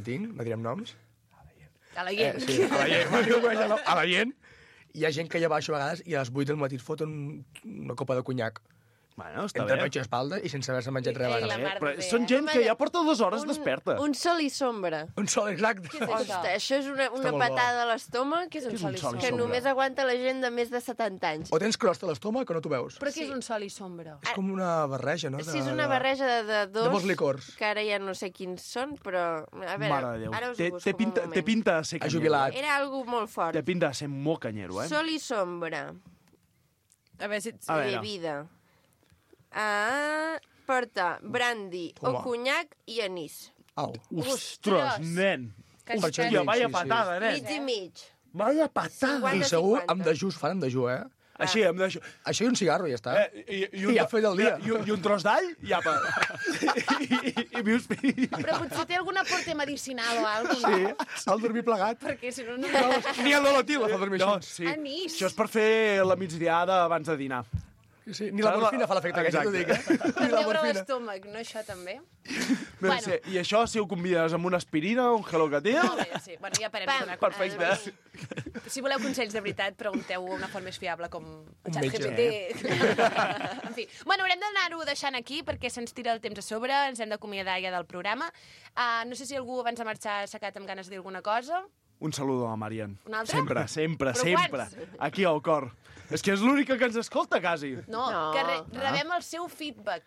que tinc, no direm noms, A la gent. Eh, sí, a la gent. A la, a la gent. Hi ha gent que ja baixo a vegades i a les vuit del matí et foten una copa de conyac. Bueno, està Entre bé. pecho i espalda i sense haver-se menjat res Ei, la abans. mar Però de bé, són eh? gent que ja porta dues hores desperta. Un sol i sombra. Un sol exacte. Què és això? Això és una, una molt bo. patada a l'estómac Què és un Què és sol un i sol i sombra? que sombra? només aguanta la gent de més de setanta anys. O tens crosta a l'estómac o no t'ho veus. Però què és un sol i sombra? És com una barreja, no? Sí, és una barreja de, de dos... De molts licors. Que ara ja no sé quins són, però... A veure, Mare de Déu. ara us Té, ho busco té, pinta, un moment. té pinta de ser Ha canyero. jubilat. Era algo molt fort. Té pinta de ser molt canyero, eh? Sol i sombra. A veure si... A veure. Bebida. Ah, porta brandy Home. o conyac i anís. Au. Ostres, nen. Que Per Hòstia, això vaya sí, sí. patada, nen. Mig i mig. Vaya patada. cinquanta I segur cinquanta. amb dejú, es fan amb dejú, eh? Així, em deixo... Això i un cigarro i ja està. Eh, i, i, un, I ja ha fet el dia. I, i un tros d'all, i apa. I, i, i vius... Però potser té algun aporte medicinal o alguna Sí, el dormir plegat. Perquè si no... no... Ni el Dolotí la fa dormir No, així. sí. Anís. Això és per fer la migdiada abans de dinar. Sí, ni la morfina fa l'efecte, que ja t'ho dic, eh? Per Ni la veure morfina. l'estómac, no això també? Bé, Bueno. sí. I això, si ho convides amb una aspirina, un gelocatil... Molt bé, sí. Bueno, ja parem de donar Perfecte. consells. Si voleu consells de veritat, pregunteu una font més fiable com Un ChatGPT. En fi. Bueno, haurem d'anar-ho deixant aquí perquè se'ns tira el temps a sobre, ens hem d'acomiadar ja del programa. Uh, no sé si algú abans de marxar s'ha quedat amb ganes de dir alguna cosa. Un saludo a Marian. Un altre? Sempre, sempre, Però sempre. quants? Aquí al cor. És que és l'única que ens escolta, quasi. No, No. que re rebem el seu feedback.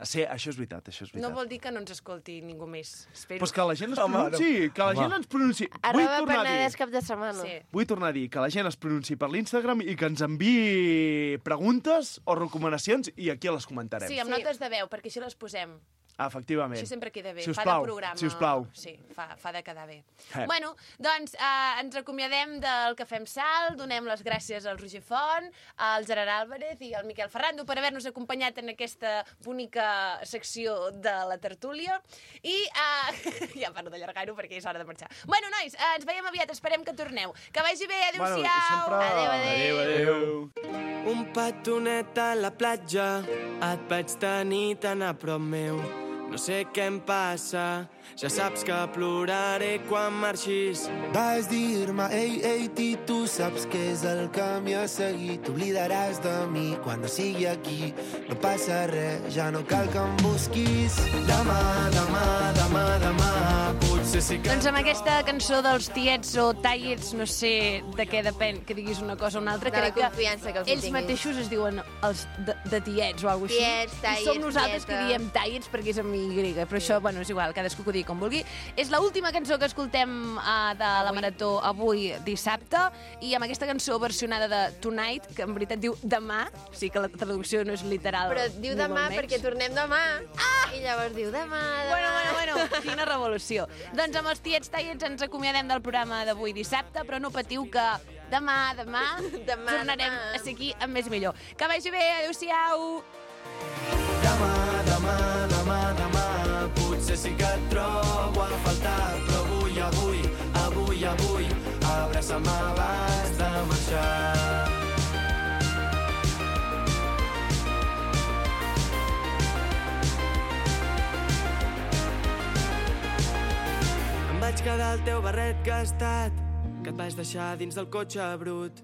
Sí, això és veritat, això és veritat. No vol dir que no ens escolti ningú més. Espero. Pues que la gent es Home, no. pronunciï, que la Home. gent ens pronunciï. Vull Arroba tornar a Penedès dir, cap de setmana. Sí. vull tornar a dir que la gent es pronunciï per l'Instagram i que ens enviï preguntes o recomanacions i aquí les comentarem. Sí, amb Sí. notes de veu, perquè així les posem. Efectivament. Això sempre queda bé. Si us fa plau, de programa. si us plau. Sí, fa, fa de quedar bé. Eh. Bueno, doncs eh, ens acomiadem del Cafè amb Sal, donem les gràcies al Roger Font, al Gerard Álvarez i al Miquel Ferrando per haver-nos acompanyat en aquesta bonica secció de la tertúlia. I eh, ja paro d'allargar-ho perquè és hora de marxar. Bueno, nois, eh, ens veiem aviat, esperem que torneu. Que vagi bé, Bueno, i adéu-siau! sempre... Adéu, adéu. adéu. Un petonet a la platja, et vaig tenir tan a prop meu. No sé què em passa, ja saps que ploraré quan marxis. Vas dir-me, ei, ei, ti, tu saps què és el camí a seguir. T'oblidaràs de mi quan no sigui aquí. No passa res, ja no cal que em busquis. Demà, demà, demà, demà, potser sí que... Doncs amb aquesta cançó dels tiets o tallets, no sé de què depèn que diguis una cosa o una altra, De la crec confiança que els ells tinguis. mateixos es diuen els de, de tiets o alguna cosa Tiets, així. tallets, I som nosaltres que tieta. diem tallets perquè és amb Y, però això, bueno, és igual, cadascú que ho digui com vulgui. És l'última cançó que escoltem uh, de la Marató avui dissabte, i amb aquesta cançó versionada de Tonight, que en veritat diu demà, o sigui que la traducció no és literal. Però diu ni demà molt menys. perquè tornem demà. Ah! I llavors diu demà, demà. Bueno, bueno, bueno, quina revolució. Doncs amb els tiets tallets ens acomiadem del programa d'avui dissabte, però no patiu que demà, demà, Demà, tornarem demà. a ser aquí amb més millor. Que vagi bé, adéu-siau! Demà, demà, demà, demà, potser sí que et trobo a faltar, però avui, avui, avui, avui, abraça'm abans de marxar. Em vaig quedar al teu barret gastat, que et vaig deixar dins del cotxe brut.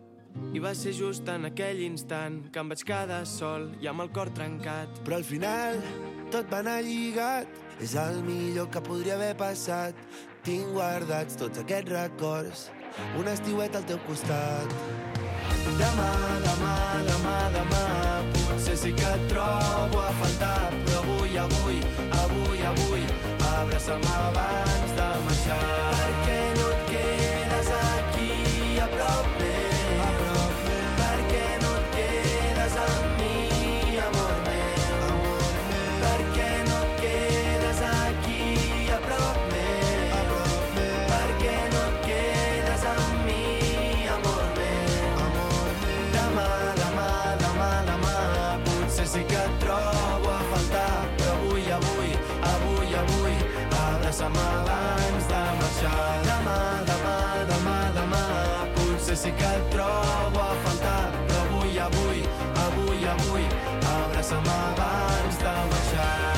I va ser just en aquell instant que em vaig quedar sol i amb el cor trencat. Però al final tot va anar lligat. És el millor que podria haver passat. Tinc guardats tots aquests records, un estiuet al teu costat. Demà, demà, demà, demà, potser sí que et trobo a faltar, però avui, avui, avui, avui, abraça'm abans de marxar. Per què no et quedes aquí a prop meu? A prop meu. Per què no et quedes amb mi, amor meu? Amor meu. Per què no et quedes aquí a prop meu? A prop meu. Per què no et quedes amb mi, amor meu? Amor meu. Demà, demà, demà, demà, potser sí que et trobo a faltar, però avui, avui, avui, avui, abraça'm abans de marxar. Demà, demà, demà, demà, potser sí que et trobo a faltar, però avui, avui, avui, avui, abraça'm abans de marxar.